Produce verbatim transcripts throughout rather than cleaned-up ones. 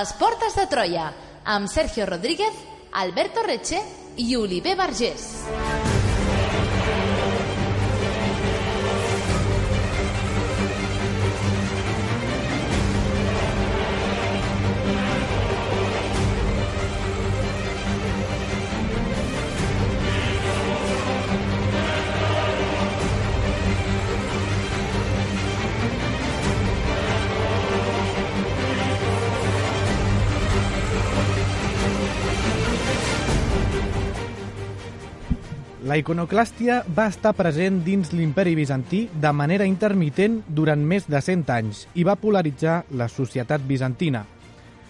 les portes de Troia, amb Sergio Rodríguez, Alberto Reche i Oliver Vergés. La iconoclàstia va estar present dins l'imperi bizantí de manera intermitent durant més de cent anys i va polaritzar la societat bizantina.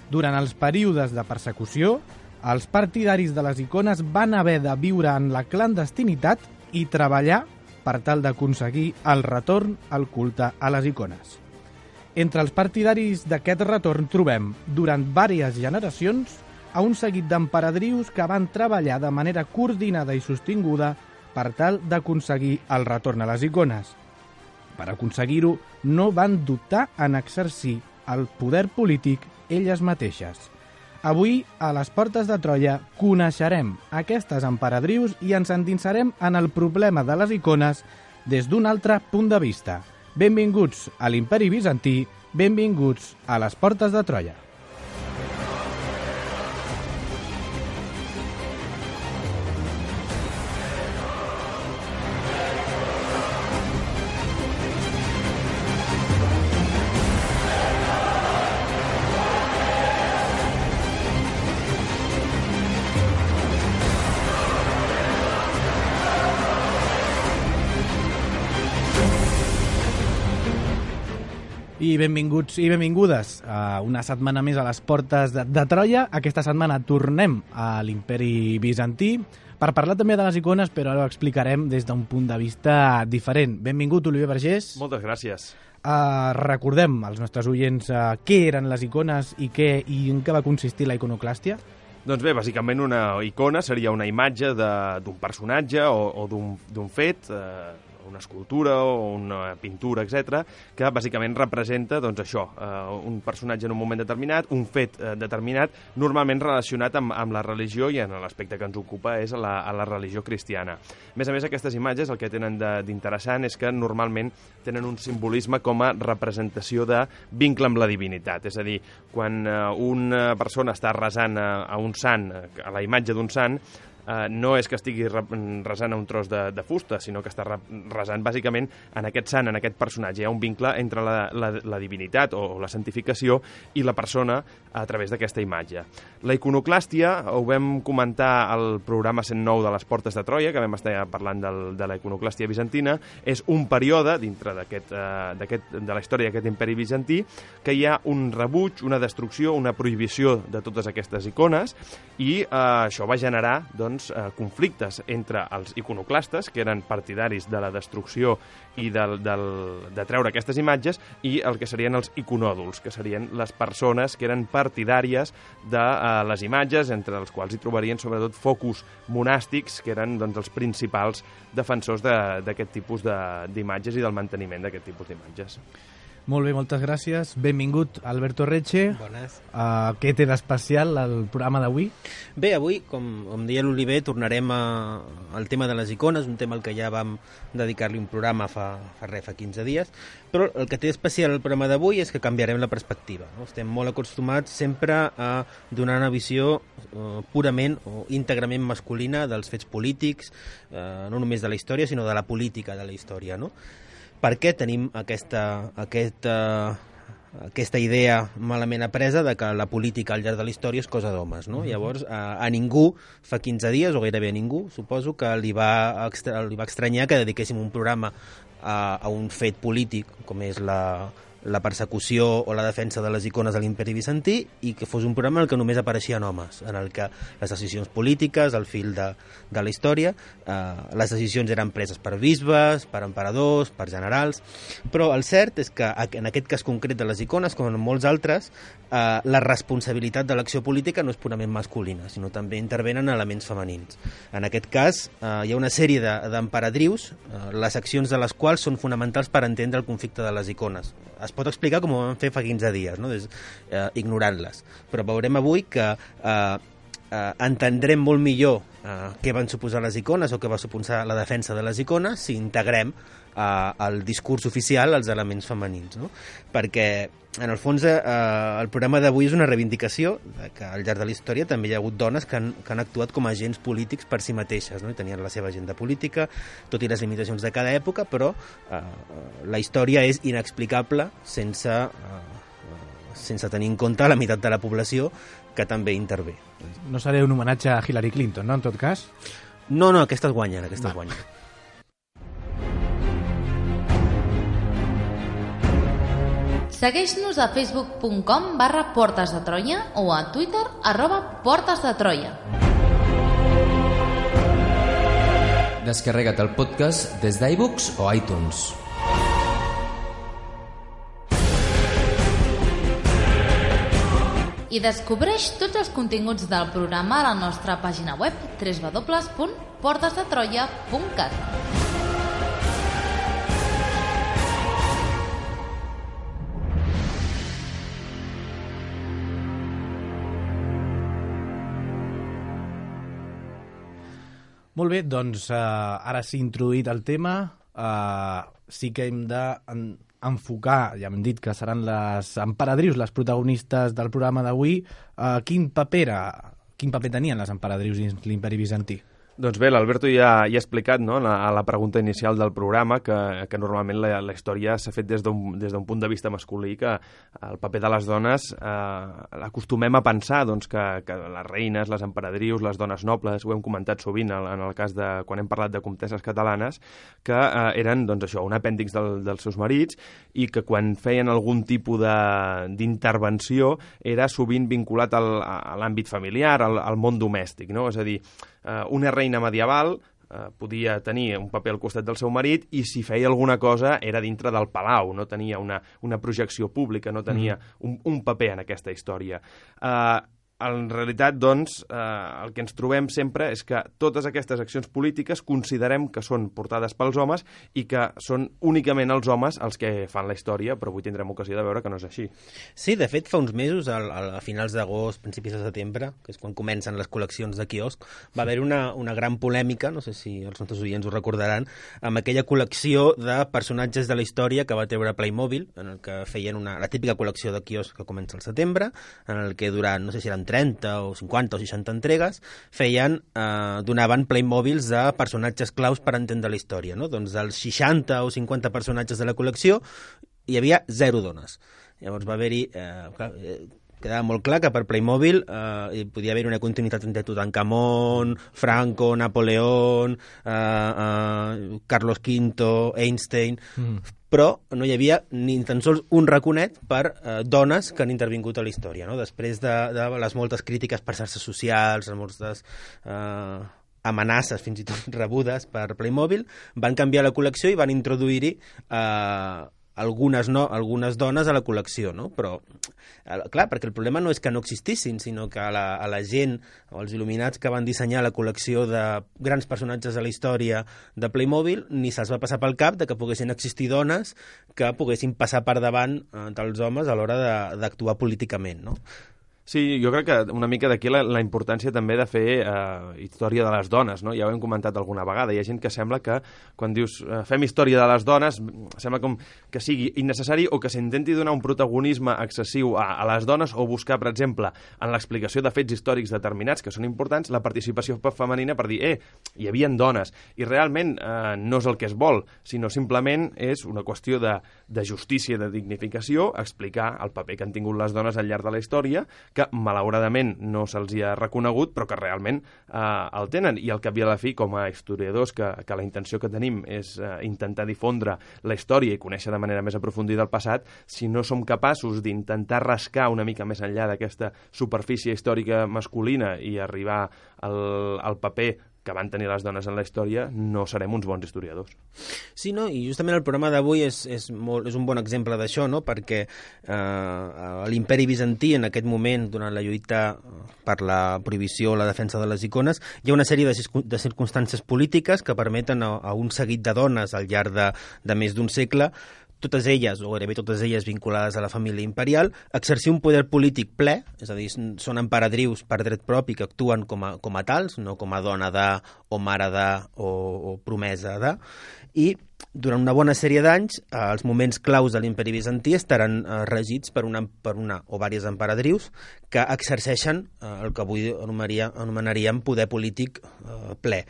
Durant els períodes de persecució, els partidaris de les icones van haver de viure en la clandestinitat i treballar per tal d'aconseguir el retorn al culte a les icones. Entre els partidaris d'aquest retorn trobem, durant diverses generacions, a un seguit d'emperadrius que van treballar de manera coordinada i sostinguda per tal d'aconseguir el retorn a les icones. Per aconseguir-ho, no van dubtar en exercir el poder polític elles mateixes. Avui, a les portes de Troia, coneixerem aquestes emperadrius i ens endinsarem en el problema de les icones des d'un altre punt de vista. Benvinguts a l'imperi bizantí, benvinguts a les portes de Troia. I benvinguts i benvingudes a una setmana més a les portes de, de Troia. Aquesta setmana tornem a l'imperi bizantí per parlar també de les icones, però ara ho explicarem des d'un punt de vista diferent. Benvingut, Oliver Vergés. Moltes gràcies. Uh, recordem als nostres oients uh, què eren les icones i, què, i en què va consistir la iconoclàstia. Doncs bé, bàsicament una icona seria una imatge d'un personatge o, o d'un fet, eh, una escultura o una pintura, etcètera, que bàsicament representa doncs, això, eh, un personatge en un moment determinat, un fet eh, determinat, normalment relacionat amb, amb la religió, i en l'aspecte que ens ocupa és a la, a la religió cristiana. A més a més, aquestes imatges el que tenen d'interessant és que normalment tenen un simbolisme com a representació de vincle amb la divinitat. És a dir, quan eh, una persona està resant a, a un sant, a la imatge d'un sant, Uh, no és que estigui resant a un tros de, de fusta, sinó que està resant bàsicament en aquest sant, en aquest personatge. Hi ha un vincle entre la, la, la divinitat o, o la santificació i la persona a través d'aquesta imatge. La iconoclàstia ho vam comentar al programa cent nou de les Portes de Troia, que vam estar parlant del, de la iconoclàstia bizantina. És un període dintre d'aquest uh, de la història d'aquest imperi bizantí que hi ha un rebuig, una destrucció, una prohibició de totes aquestes icones, i uh, això va generar, doncs, Eh, conflictes entre els iconoclastes, que eren partidaris de la destrucció i del, del, de treure aquestes imatges, i el que serien els iconòduls, que serien les persones que eren partidàries de eh, les imatges, entre els quals hi trobarien sobretot focus monàstics, que eren doncs, els principals defensors d'aquest tipus d'imatges i del manteniment d'aquest tipus d'imatges. Molt bé, moltes gràcies. Benvingut, Alberto Reche. Bones. Uh, què té d'especial el programa d'avui? Bé, avui, com, com deia l'Oliver, tornarem a, al tema de les icones, un tema al que ja vam dedicar-li un programa fa, fa, res, fa quinze dies, però el que té especial el programa d'avui és que canviarem la perspectiva. No? Estem molt acostumats sempre a donar una visió uh, purament o íntegrament masculina dels fets polítics, uh, no només de la història, sinó de la política de la història, no? Per què tenim aquesta, aquesta, aquesta idea malament apresa de que la política al llarg de la història és cosa d'homes, no? Llavors, a, a ningú, fa quinze dies, o gairebé a ningú, suposo que li va, extra, li va estranyar que dediquéssim un programa a, a un fet polític, com és la, la persecució o la defensa de les icones de l'imperi bizantí, i que fos un programa en el que només apareixien homes, en el que les decisions polítiques, el fil de, de la història, eh, les decisions eren preses per bisbes, per emperadors, per generals, però el cert és que en aquest cas concret de les icones, com en molts altres, eh, la responsabilitat de l'acció política no és purament masculina, sinó també intervenen elements femenins. En aquest cas, eh, hi ha una sèrie d'emperadrius, de, eh, les accions de les quals són fonamentals per entendre el conflicte de les icones. Es pot explicar com ho vam fer fa quinze dies, no? Des, eh, ignorant-les. Però veurem avui que eh, eh, entendrem molt millor eh, què van suposar les icones o què va suposar la defensa de les icones si integrem eh, al discurs oficial els elements femenins, no? Perquè en el fons, eh, el programa d'avui és una reivindicació de que al llarg de la història també hi ha hagut dones que han, que han actuat com a agents polítics per si mateixes, no? I tenien la seva agenda política, tot i les limitacions de cada època, però eh, la història és inexplicable sense, eh, sense tenir en compte la meitat de la població que també intervé. No seré un homenatge a Hillary Clinton, no, en tot cas? No, no, aquestes guanyen, aquestes Va. guanyen. Segueix-nos a facebook punt com barra Portes de Troia o a Twitter arroba Portes de Troia. Descarrega't el podcast des d'iBooks o iTunes. I descobreix tots els continguts del programa a la nostra pàgina web w w w punt portes de troia punt cat. Molt bé, doncs uh, ara sí introduït el tema, uh, sí que hem d'enfocar, ja hem dit que seran les emperadrius les protagonistes del programa d'avui. Uh, quin paper era, quin paper tenien les emperadrius dins l'imperi bizantí? Doncs bé, l'Alberto ja, ja ha explicat, no, la, a la pregunta inicial del programa que, que normalment la, la història s'ha fet des d'un des d'un punt de vista masculí, que el paper de les dones eh, acostumem a pensar doncs, que, que les reines, les emperadrius, les dones nobles, ho hem comentat sovint en, en el cas de quan hem parlat de comtesses catalanes, que eh, eren doncs, això, un apèndix del, dels seus marits i que quan feien algun tipus d'intervenció era sovint vinculat al, a l'àmbit familiar, al, al món domèstic, no? És a dir, una reina medieval eh, podia tenir un paper al costat del seu marit i si feia alguna cosa era dintre del palau, no tenia una, una projecció pública, no tenia un, un paper en aquesta història. Eh, en realitat, doncs, eh, el que ens trobem sempre és que totes aquestes accions polítiques considerem que són portades pels homes i que són únicament els homes els que fan la història, però avui tindrem ocasió de veure que no és així. Sí, de fet, fa uns mesos, a, a finals d'agost, principis de setembre, que és quan comencen les col·leccions de quiosc, va haver una, una gran polèmica, no sé si els nostres oients ho recordaran, amb aquella col·lecció de personatges de la història que va treure Playmobil, en el que feien una, la típica col·lecció de quiosc que comença al setembre, en el que durant, no sé si eren trenta o cinquanta o seixanta entregues, feien, eh, donaven Playmobils de personatges claus per entendre la història, no? Doncs dels seixanta o cinquanta personatges de la col·lecció hi havia zero dones. Llavors va haver-hi... Eh, clar, eh, quedava molt clar que per Playmobil eh, hi podia haver una continuïtat entre Tutankamon, Franco, Napoleón, eh, eh, Carlos quinto, Einstein... Mm. Però no hi havia ni tan sols un raconet per eh, dones que han intervingut a la història, no? Després de, de les moltes crítiques per xarxes socials, les moltes eh, amenaces fins i tot rebudes per Playmobil, van canviar la col·lecció i van introduir-hi eh, algunes, no, algunes dones a la col·lecció, no? Però, eh, clar, perquè el problema no és que no existissin, sinó que a la, a la gent o els il·luminats que van dissenyar la col·lecció de grans personatges a la història de Playmobil ni se'ls va passar pel cap de que poguessin existir dones que poguessin passar per davant eh, dels homes a l'hora d'actuar políticament, no? Sí, jo crec que una mica d'aquí la, la importància també de fer eh, història de les dones, no? Ja ho hem comentat alguna vegada. Hi ha gent que sembla que quan dius eh, fem història de les dones, sembla com que sigui innecessari o que s'intenti donar un protagonisme excessiu a, a les dones o buscar, per exemple, en l'explicació de fets històrics determinats que són importants, la participació femenina per dir, eh, hi havia dones. I realment eh, no és el que es vol, sinó simplement és una qüestió de, de justícia, de dignificació, explicar el paper que han tingut les dones al llarg de la història, que malauradament no se'ls hi ha reconegut, però que realment eh, el tenen. I al cap i a la fi, com a historiadors, que, que la intenció que tenim és eh, intentar difondre la història i conèixer de manera més aprofundida el passat, si no som capaços d'intentar rascar una mica més enllà d'aquesta superfície històrica masculina i arribar al, al paper que van tenir les dones en la història, no serem uns bons historiadors. Sí, no? I justament el programa d'avui és, és, molt, és un bon exemple d'això, no? Perquè eh, l'imperi bizantí, en aquest moment, durant la lluita per la prohibició o la defensa de les icones, hi ha una sèrie de, de circumstàncies polítiques que permeten a, a un seguit de dones al llarg de, de més d'un segle totes elles, o gairebé totes elles vinculades a la família imperial, exercir un poder polític ple, és a dir, són emperadrius per dret propi que actuen com a, com a tals, no com a dona de, o mare de, o, o promesa de, i durant una bona sèrie d'anys, eh, els moments claus de l'imperi bizantí estaran eh, regits per una, per una o diverses emperadrius que exerceixen eh, el que avui anomenaríem poder polític eh, ple.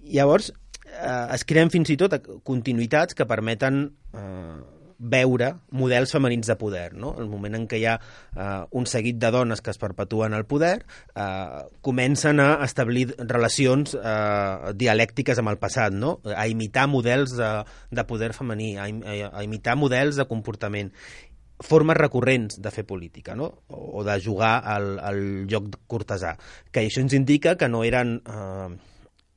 Llavors, eh, es creen fins i tot continuïtats que permeten eh, veure models femenins de poder, no? El moment en què hi ha eh, un seguit de dones que es perpetuen al poder, eh, comencen a establir relacions eh, dialèctiques amb el passat, no? A imitar models de, de poder femení, a, a imitar models de comportament, formes recurrents de fer política, no? O, o de jugar al, al joc cortesà, que això ens indica que no eren... Eh,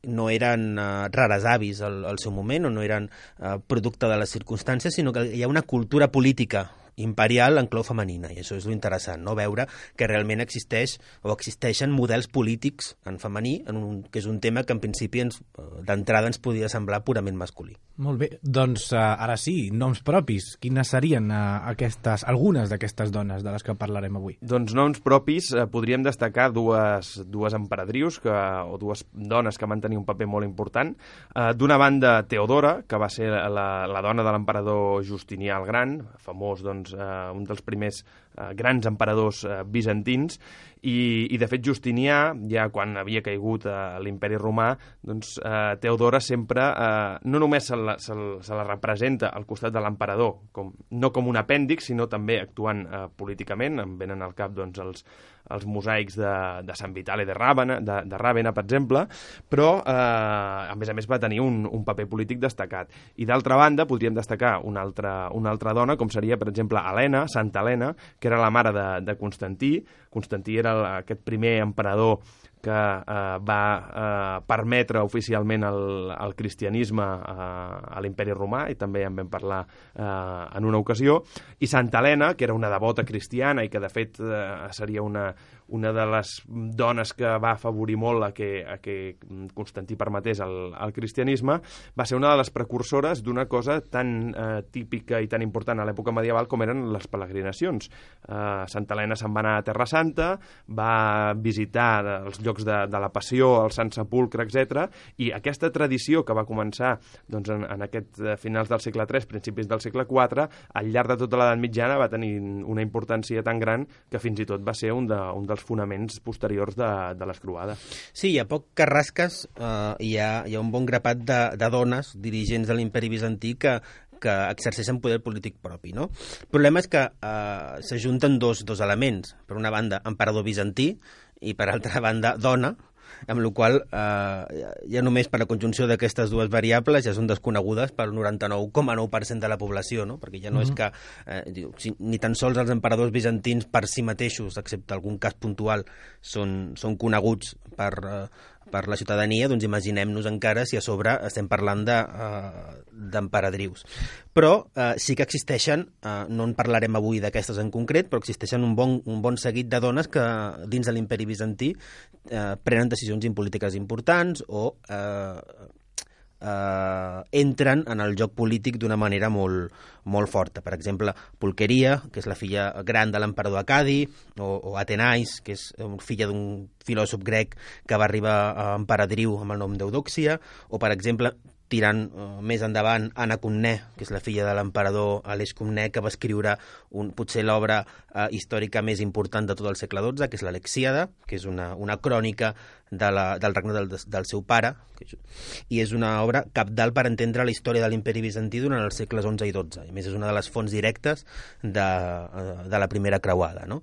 no eren uh, rares avis al, al seu moment, o no eren uh, producte de les circumstàncies, sinó que hi ha una cultura política imperial en clau femenina, i això és lo interessant, no? Veure que realment existeix o existeixen models polítics en femení, en un, que és un tema que en principi ens, d'entrada ens podia semblar purament masculí. Molt bé, doncs uh, ara sí, noms propis. Quines serien uh, aquestes, algunes d'aquestes dones de les que parlarem avui? Doncs noms propis, eh, podríem destacar dues, dues emperadrius que, o dues dones que van tenir un paper molt important. Uh, D'una banda, Teodora, que va ser la, la dona de l'emperador Justinià el Gran, famós, doncs, Uh, un dels primers uh, grans emperadors uh, bizantins, i, i de fet Justinià, ja quan havia caigut uh, l'imperi romà, doncs uh, Teodora sempre uh, no només se la, se, se la representa al costat de l'emperador, com, no com un apèndix, sinó també actuant uh, políticament. Em venen al cap doncs, els, els mosaics de, de Sant Vitale de Ràvena, de, de Ràvena, per exemple, però uh, a més a més va tenir un, un paper polític destacat. I d'altra banda podríem destacar una altra, una altra dona, com seria, per exemple, Helena, Santa Helena, que era la mare de, de Constantí. Constantí era el, aquest primer emperador que eh, va eh, permetre oficialment el, el cristianisme eh, a l'imperi romà, i també en vam parlar eh, en una ocasió, i Santa Helena, que era una devota cristiana i que de fet eh, seria una, una de les dones que va afavorir molt a que, a que Constantí permetés el, el cristianisme, va ser una de les precursores d'una cosa tan eh, típica i tan important a l'època medieval com eren les peregrinacions. Eh, Santa Helena se'n va anar a Terra Santa, va visitar els llocs de, de la Passió, el Sant Sepulcre, etcètera, i aquesta tradició que va començar doncs, en, en aquest finals del segle tres, principis del segle quatre, al llarg de tota l'edat mitjana va tenir una importància tan gran que fins i tot va ser un, de, un dels fonaments posteriors de, de les croades. Sí, a poc que rasques eh, hi, ha, hi ha un bon grapat de, de dones dirigents de l'imperi bizantí que que exerceixen poder polític propi, no? El problema és que eh, s'ajunten dos, dos elements. Per una banda, emperador bizantí, i per altra banda, dona, amb la qual eh, ja només per la conjunció d'aquestes dues variables ja són desconegudes pel noranta-nou coma nou per cent de la població, no? Perquè ja no mm-hmm. és que eh, diu, si, ni tan sols els emperadors bizantins per si mateixos, excepte algun cas puntual, són, són coneguts per, eh, per la ciutadania, doncs imaginem-nos encara si a sobre estem parlant de, uh, d'emperadrius. Però uh, sí que existeixen, uh, no en parlarem avui d'aquestes en concret, però existeixen un bon, un bon seguit de dones que dins de l'imperi bizantí uh, prenen decisions polítiques importants o uh, Uh, entren en el joc polític d'una manera molt, molt forta. Per exemple, Pulqueria, que és la filla gran de l'emperador Acadi, o, o Atenais, que és filla d'un filòsof grec que va arribar a emperadriu amb el nom d'Eudòxia, o, per exemple, tirant uh, més endavant, Anna Comnè, que és la filla de l'emperador Aleix Comnè, que va escriure un, potser l'obra uh, històrica més important de tot el segle dotze, que és l'Alexíada, que és una, una crònica de la, del regne del, del seu pare, que, i és una obra cabdal per entendre la història de l'imperi bizantí durant els segles onze i dotze. A més, és una de les fonts directes de, uh, de la primera creuada, no?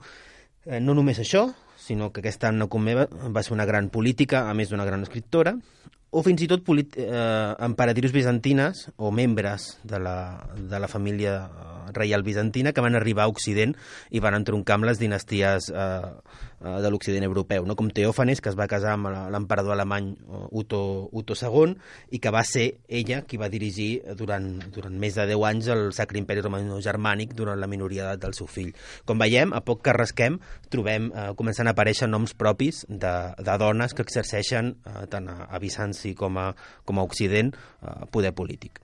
Eh, no només això, sinó que aquesta Anna Comnè va ser una gran política, a més d'una gran escriptora, o fins i tot eh, emperadrius bizantines o membres de la, de la família reial bizantina que van arribar a Occident i van entroncar amb les dinasties eh, de l'Occident europeu, no? Com Teòfanes, que es va casar amb l'emperador alemany Otto, Otto segon, i que va ser ella qui va dirigir durant, durant més de deu anys el Sacre Imperi Romano-Germànic durant la minoria d'edat del seu fill. Com veiem, a poc que rasquem, trobem, eh, començant a aparèixer noms propis de, de dones que exerceixen eh, tant a, a Bizanci com a, com a Occident eh, poder polític.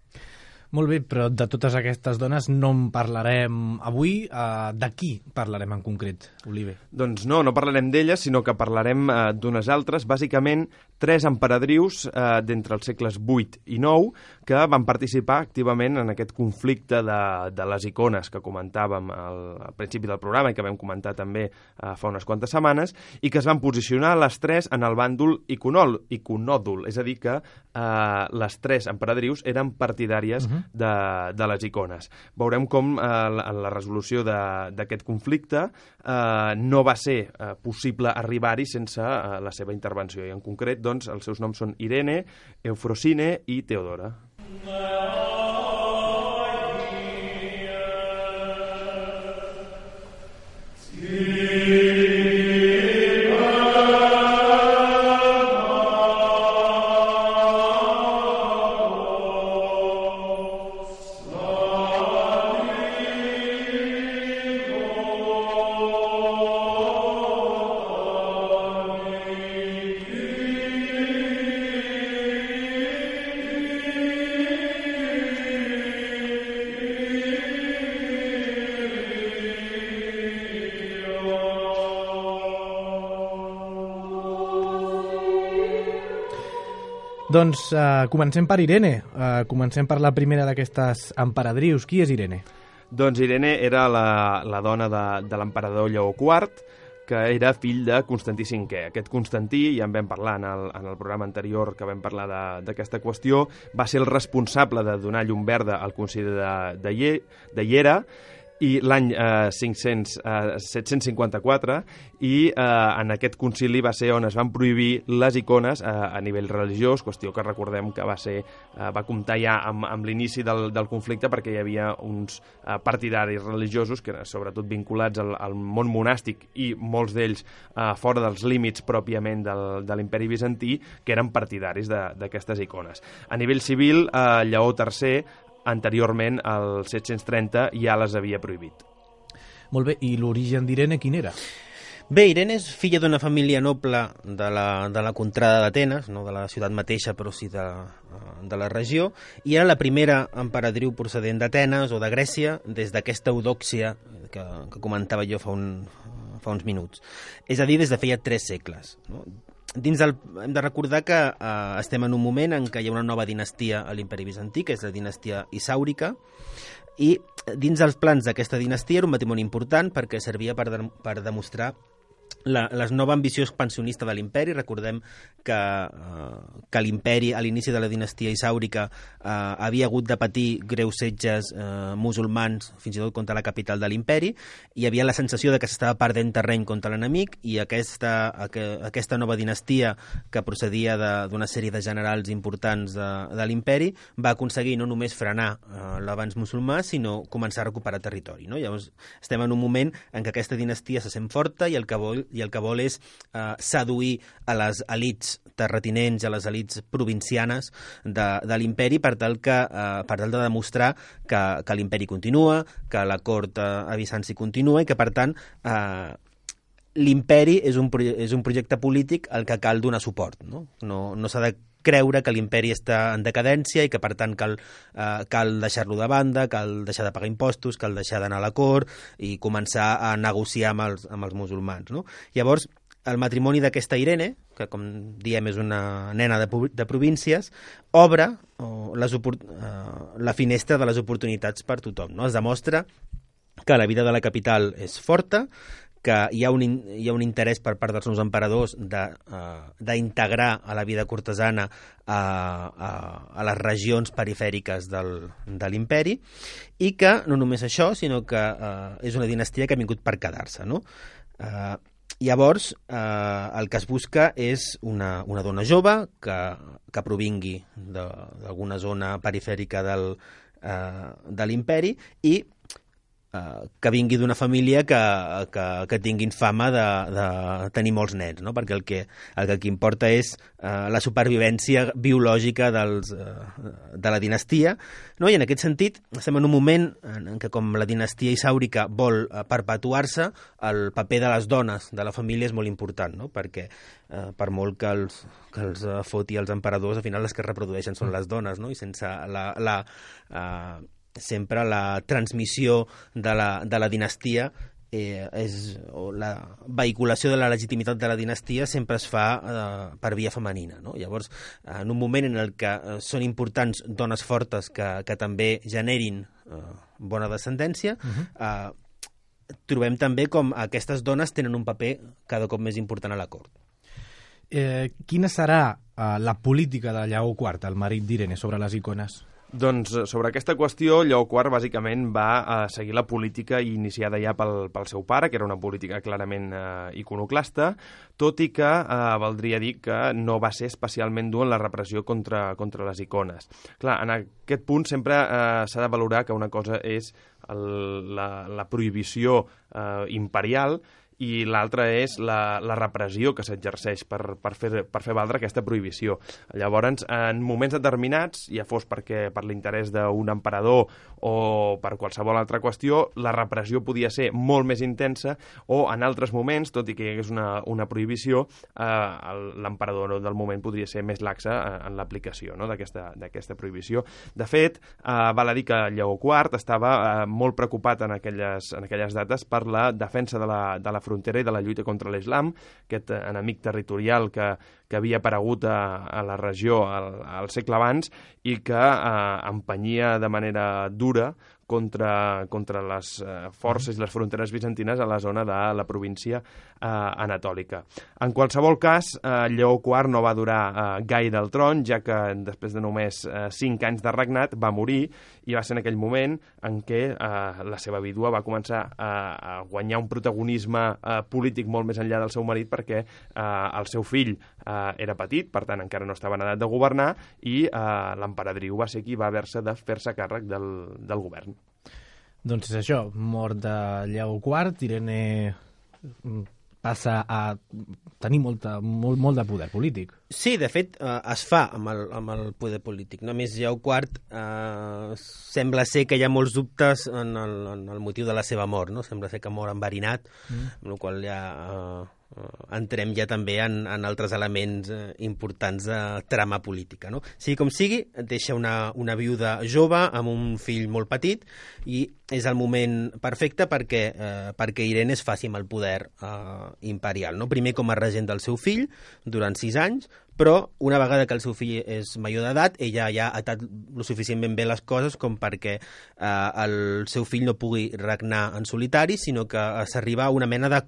Molt bé, però de totes aquestes dones no en parlarem avui. Uh, de qui parlarem en concret, Oliver? Doncs no, no parlarem d'elles, sinó que parlarem uh, d'unes altres, bàsicament tres emperadrius uh, d'entre els segles vuit i nou que van participar activament en aquest conflicte de, de les icones que comentàvem al, al principi del programa i que vam comentar també uh, fa unes quantes setmanes, i que es van posicionar les tres en el bàndol iconol, iconòdul, és a dir que uh, les tres emperadrius eren partidàries uh-huh. de, de les icones. Veurem com eh, en la resolució d'aquest conflicte eh, no va ser eh, possible arribar-hi sense eh, la seva intervenció, i en concret doncs, els seus noms són Irene, Eufrosine i Teodora. Doncs uh, comencem per Irene, uh, comencem per la primera d'aquestes emperadrius. Qui és Irene? Doncs Irene era la, la dona de, de l'emperador Lleó quart, que era fill de Constantí cinquè. Aquest Constantí, ja en vam parlar en el, en el programa anterior que vam parlar d'aquesta qüestió, va ser el responsable de donar llum verda al concili de, de, Ie, de Hiera, i l'any eh, set-cents cinquanta-quatre, i eh, en aquest concili va ser on es van prohibir les icones eh, a nivell religiós, qüestió que recordem que va ser eh, va comptar ja amb, amb l'inici del, del conflicte, perquè hi havia uns eh, partidaris religiosos que eren sobretot vinculats al, al món monàstic, i molts d'ells eh, fora dels límits pròpiament del, de l'imperi bizantí, que eren partidaris d'aquestes icones. A nivell civil, eh, Lleó tercer anteriorment, al set-cents trenta, ja les havia prohibit. Molt bé, i l'origen d'Irene quin era? Bé, Irene és filla d'una família noble de la, de la contrada d'Atenes, no de la ciutat mateixa, però sí de, de la regió, i era la primera emperadriu procedent d'Atenes o de Grècia, des d'aquesta eudòxia que, que comentava jo fa, un, fa uns minuts. És a dir, des de feia tres segles, no? Dins del, hem de recordar que eh, estem en un moment en què hi ha una nova dinastia a l'imperi bizantí, que és la dinastia isàurica, i dins dels plans d'aquesta dinastia era un matrimoni important perquè servia per, de, per demostrar la, la nova ambició expansionista de l'imperi. Recordem que, eh, que l'imperi a l'inici de la dinastia isàurica eh, havia hagut de patir greus setges eh, musulmans, fins i tot contra la capital de l'imperi. Hi havia la sensació de que s'estava perdent terreny contra l'enemic, i aquesta, aquesta nova dinastia, que procedia d'una sèrie de generals importants de, de l'imperi, va aconseguir no només frenar eh, l'avanç musulmà, sinó començar a recuperar territori, no? Llavors estem en un moment en què aquesta dinastia se sent forta, i el que vol i el que vol és eh, seduir a les elits terratinents, a les elits provincianes de, de l'imperi, per tal que eh, per tal de demostrar que, que l'imperi continua, que la cort eh, a Bizanci continua, i que per tant eh, l'imperi és un, és un projecte polític al que cal donar suport, no, no, no s'ha de creure que l'imperi està en decadència i que per tant cal, eh, cal deixar-lo de banda, cal deixar de pagar impostos, cal deixar d'anar a la cort i començar a negociar amb els, amb els musulmans, no? Llavors, el matrimoni d'aquesta Irene, que com diem és una nena de, de províncies, obre oh, les, eh, la finestra de les oportunitats per tothom, no? Es demostra que la vida de la capital és forta, que hi ha, un, hi ha un interès per part dels nous emperadors d'integrar uh, a la vida cortesana a, a, a les regions perifèriques del, de l'imperi, i que no només això, sinó que uh, és una dinastia que ha vingut per quedar-se, no? Uh, llavors, uh, el que es busca és una, una dona jove que, que provingui d'alguna zona perifèrica del, uh, de l'imperi, i Uh, que vingui d'una família que, que, que tinguin fama de, de tenir molts nens, no? Perquè el que, el que aquí importa és uh, la supervivència biològica dels, uh, de la dinastia, no? I en aquest sentit estem en un moment en què, com la dinastia isàurica vol uh, perpetuar-se, el paper de les dones de la família és molt important, no? Perquè uh, per molt que els, que els uh, foti els emperadors, al final les que reprodueixen són les dones, no? I sense la... la uh, sempre la transmissió de la, de la dinastia eh, és, o la vehiculació de la legitimitat de la dinastia sempre es fa eh, per via femenina, no? Llavors, en un moment en el que eh, són importants dones fortes que, que també generin eh, bona descendència, uh-huh. eh, trobem també com aquestes dones tenen un paper cada cop més important a la cort. Eh, quina serà eh, la política de Lleó quart, el marit d'Irene, sobre les icones? Doncs sobre aquesta qüestió, Lleó quart bàsicament va eh, seguir la política iniciada ja pel, pel seu pare, que era una política clarament eh, iconoclasta, tot i que eh, valdria dir que no va ser especialment dur en la repressió contra, contra les icones. Clar, en aquest punt sempre eh, s'ha de valorar que una cosa és el, la, la prohibició eh, imperial i l'altra és la, la repressió que s'exerceix per, per, fer, per fer valdre aquesta prohibició. Llavors, en moments determinats, ja fos perquè per l'interès d'un emperador o per qualsevol altra qüestió, la repressió podia ser molt més intensa o en altres moments, tot i que hi hagués una, una prohibició, eh, l'emperador del moment podria ser més laxa en l'aplicació, no?, d'aquesta d'aquesta prohibició. De fet, eh, val a dir que Lleó quart estava eh, molt preocupat en aquelles, en aquelles dates per la defensa de la, de la frontera i de la lluita contra l'islam, aquest enemic territorial que, que havia aparegut a, a la regió al, al segle abans i que eh, empenyia de manera dura contra, contra les eh, forces i les fronteres bizantines a la zona de la província eh, anatòlica. En qualsevol cas, eh, Lleó quart no va durar eh, gaire al tron, ja que després de només eh, cinc anys de regnat va morir, i va ser en aquell moment en què eh, la seva vídua va començar a, a guanyar un protagonisme eh, polític molt més enllà del seu marit, perquè eh, el seu fill eh, era petit, per tant encara no estava en edat de governar, i eh, l'emperadriu va ser qui va haver-se de fer-se càrrec del, del govern. Doncs és això, mort de Lleó quart, Irene passa a tenir molta, molt, molt de poder polític. Sí, de fet, eh, es fa amb el, amb el poder polític. Només Lleó quart eh, sembla ser que hi ha molts dubtes en el, en el motiu de la seva mort, no? Sembla ser que mor enverinat, mm. amb la qual ja eh, entrem ja també en, en altres elements eh, importants de trama política, no? Sigui com sigui, deixa una, una viuda jove amb un fill molt petit i és el moment perfecte perquè, eh, perquè Irene es faci amb el poder eh, imperial, no? Primer com a regent del seu fill durant sis anys, però una vegada que el seu fill és major d'edat, ella ja ha atat lo suficientment bé les coses com perquè eh, el seu fill no pugui regnar en solitari, sinó que s'arriba a una mena de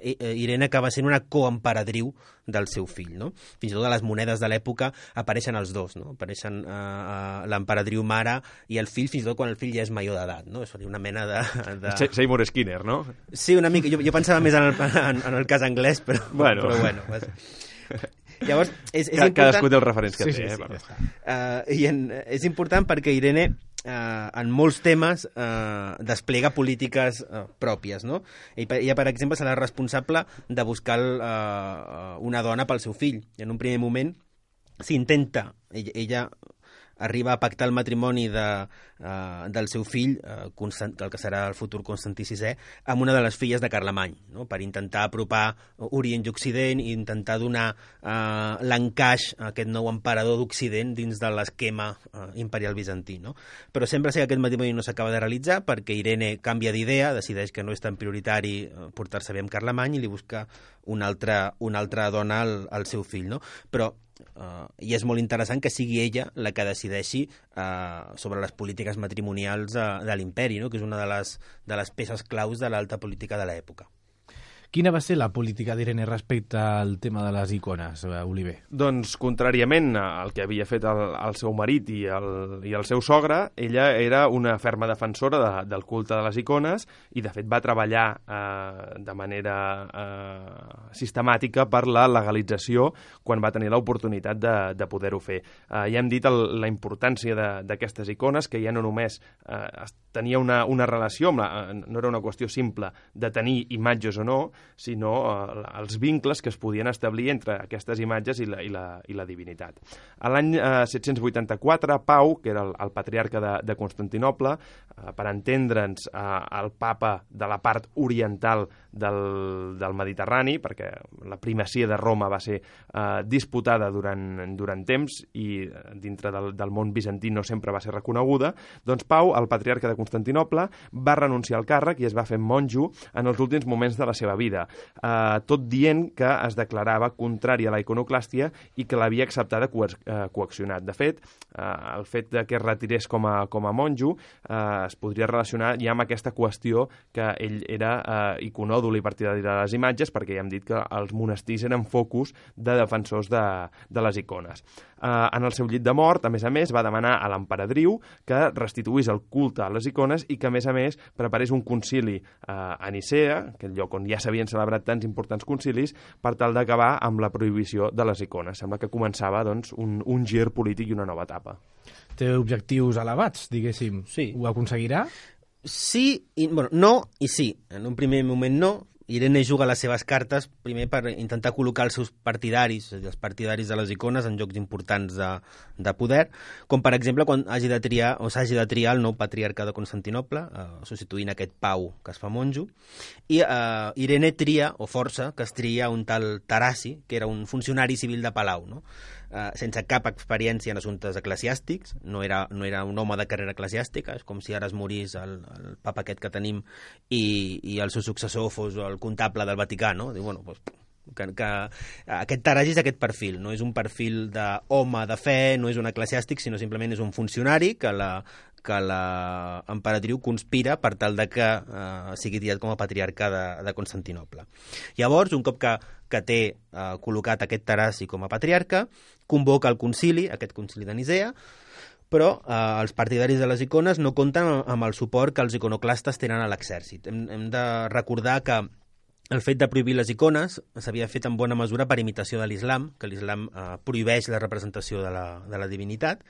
Irene acaba sent una coemperadriu del seu fill, no? Fins i tot a les monedes de l'època apareixen els dos, no? Apareixen uh, uh, l'emperadriu mare i el fill, fins i tot quan el fill ja és major d'edat, no? És una mena de... de... Seymour Skinner, no? Sí, una mica. Jo, jo pensava més en el, en, en el cas anglès, però bueno. Però bueno vas... Llavors, és, és Ca, important... Cadascú té els referents que sí, té, sí, eh? sí, ja uh, I en, és important perquè Irene uh, en molts temes uh, desplega polítiques uh, pròpies, no? Ella, per exemple, serà responsable de buscar uh, una dona pel seu fill. En un primer moment s'intenta, ella, ella arriba a pactar el matrimoni de, uh, del seu fill, uh, Constant, el que serà el futur Constantí sisè, amb una de les filles de Carlemany, no? Per intentar apropar Orient i Occident i intentar donar uh, l'encaix a aquest nou emperador d'Occident dins de l'esquema uh, imperial bizantí, no? Però sembla ser que aquest matrimoni no s'acaba de realitzar perquè Irene canvia d'idea, decideix que no és tan prioritari uh, portar-se bé amb Carlemany i li busca una altra, una altra dona al, al seu fill, no? Però Uh, i és molt interessant que sigui ella la que decideixi uh, sobre les polítiques matrimonials uh, de l'imperi, no? Que és una de les, de les peces claus de l'alta política de l'època. Quina va ser la política d'Irene respecte al tema de les icones, Oliver? Doncs, contràriament al que havia fet el, el seu marit i el, i el seu sogre, ella era una ferma defensora de, del culte de les icones i, de fet, va treballar eh, de manera eh, sistemàtica per la legalització quan va tenir l'oportunitat de, de poder-ho fer. Eh, ja hem dit el, la importància d'aquestes icones, que ja no només eh, tenia una, una relació, amb la, no era una qüestió simple de tenir imatges o no, sinó eh, els vincles que es podien establir entre aquestes imatges i la, i la, i la divinitat. A l'any eh, set-cents vuitanta-quatre, Pau, que era el, el patriarca de, de Constantinoble, eh, per entendre'ns, eh, el papa de la part oriental del, del Mediterrani, perquè la primacia de Roma va ser eh, disputada durant, durant temps i dintre del, del món bizantí no sempre va ser reconeguda, doncs Pau, el patriarca de Constantinople, va renunciar al càrrec i es va fer monjo en els últims moments de la seva vida, eh, tot dient que es declarava contrari a la iconoclàstia i que l'havia acceptada co eh, coaccionat. De fet, eh, el fet de que es retirés com a, com a monjo eh, es podria relacionar ja amb aquesta qüestió que ell era eh, iconòdol i partidari de les imatges, perquè ja hem dit que els monestirs eren focus de defensors de, de les icones. Eh, en el seu llit de mort, a més a més, va demanar a l'emperadriu que restituís el culte a les icones i que, a més a més, preparés un concili eh, a Nicea, aquell lloc on ja s'havien celebrat tants importants concilis, per tal d'acabar amb la prohibició de les icones. Sembla que començava doncs, un, un gir polític i una nova etapa. Té objectius elevats, diguéssim. Sí. Ho aconseguirà? Sí, i, bueno, no i sí. En un primer moment no. Irene juga les seves cartes primer per intentar col·locar els seus partidaris, és a dir, els partidaris de les icones en llocs importants de, de poder, com per exemple quan hagi de triar o s'hagi de triar el nou patriarca de Constantinople, eh, substituint aquest Pau que es fa monjo, i eh, Irene tria, o força, que es tria un tal Tarasi, que era un funcionari civil de Palau, no? Uh, sense cap experiència en assumptes eclesiàstics, no era, no era un home de carrera eclesiàstica, és com si ara es morís el, el papa aquest que tenim i, i el seu successor fos el comptable del Vaticà, no? Diu, bueno, pues, que, que aquest Tarasi és aquest perfil, no és un perfil d'home de fe, no és un eclesiàstic, sinó simplement és un funcionari que la que l'emperatriu conspira per tal de que eh, sigui triat com a patriarca de, de Constantinople. Llavors, un cop que, que té eh, col·locat aquest Tarasi com a patriarca, convoca el concili, aquest concili de Nicea, però eh, els partidaris de les icones no compten amb el suport que els iconoclastes tenen a l'exèrcit. Hem, hem de recordar que el fet de prohibir les icones s'havia fet en bona mesura per imitació de l'islam, que l'islam eh, prohibeix la representació de la, de la divinitat,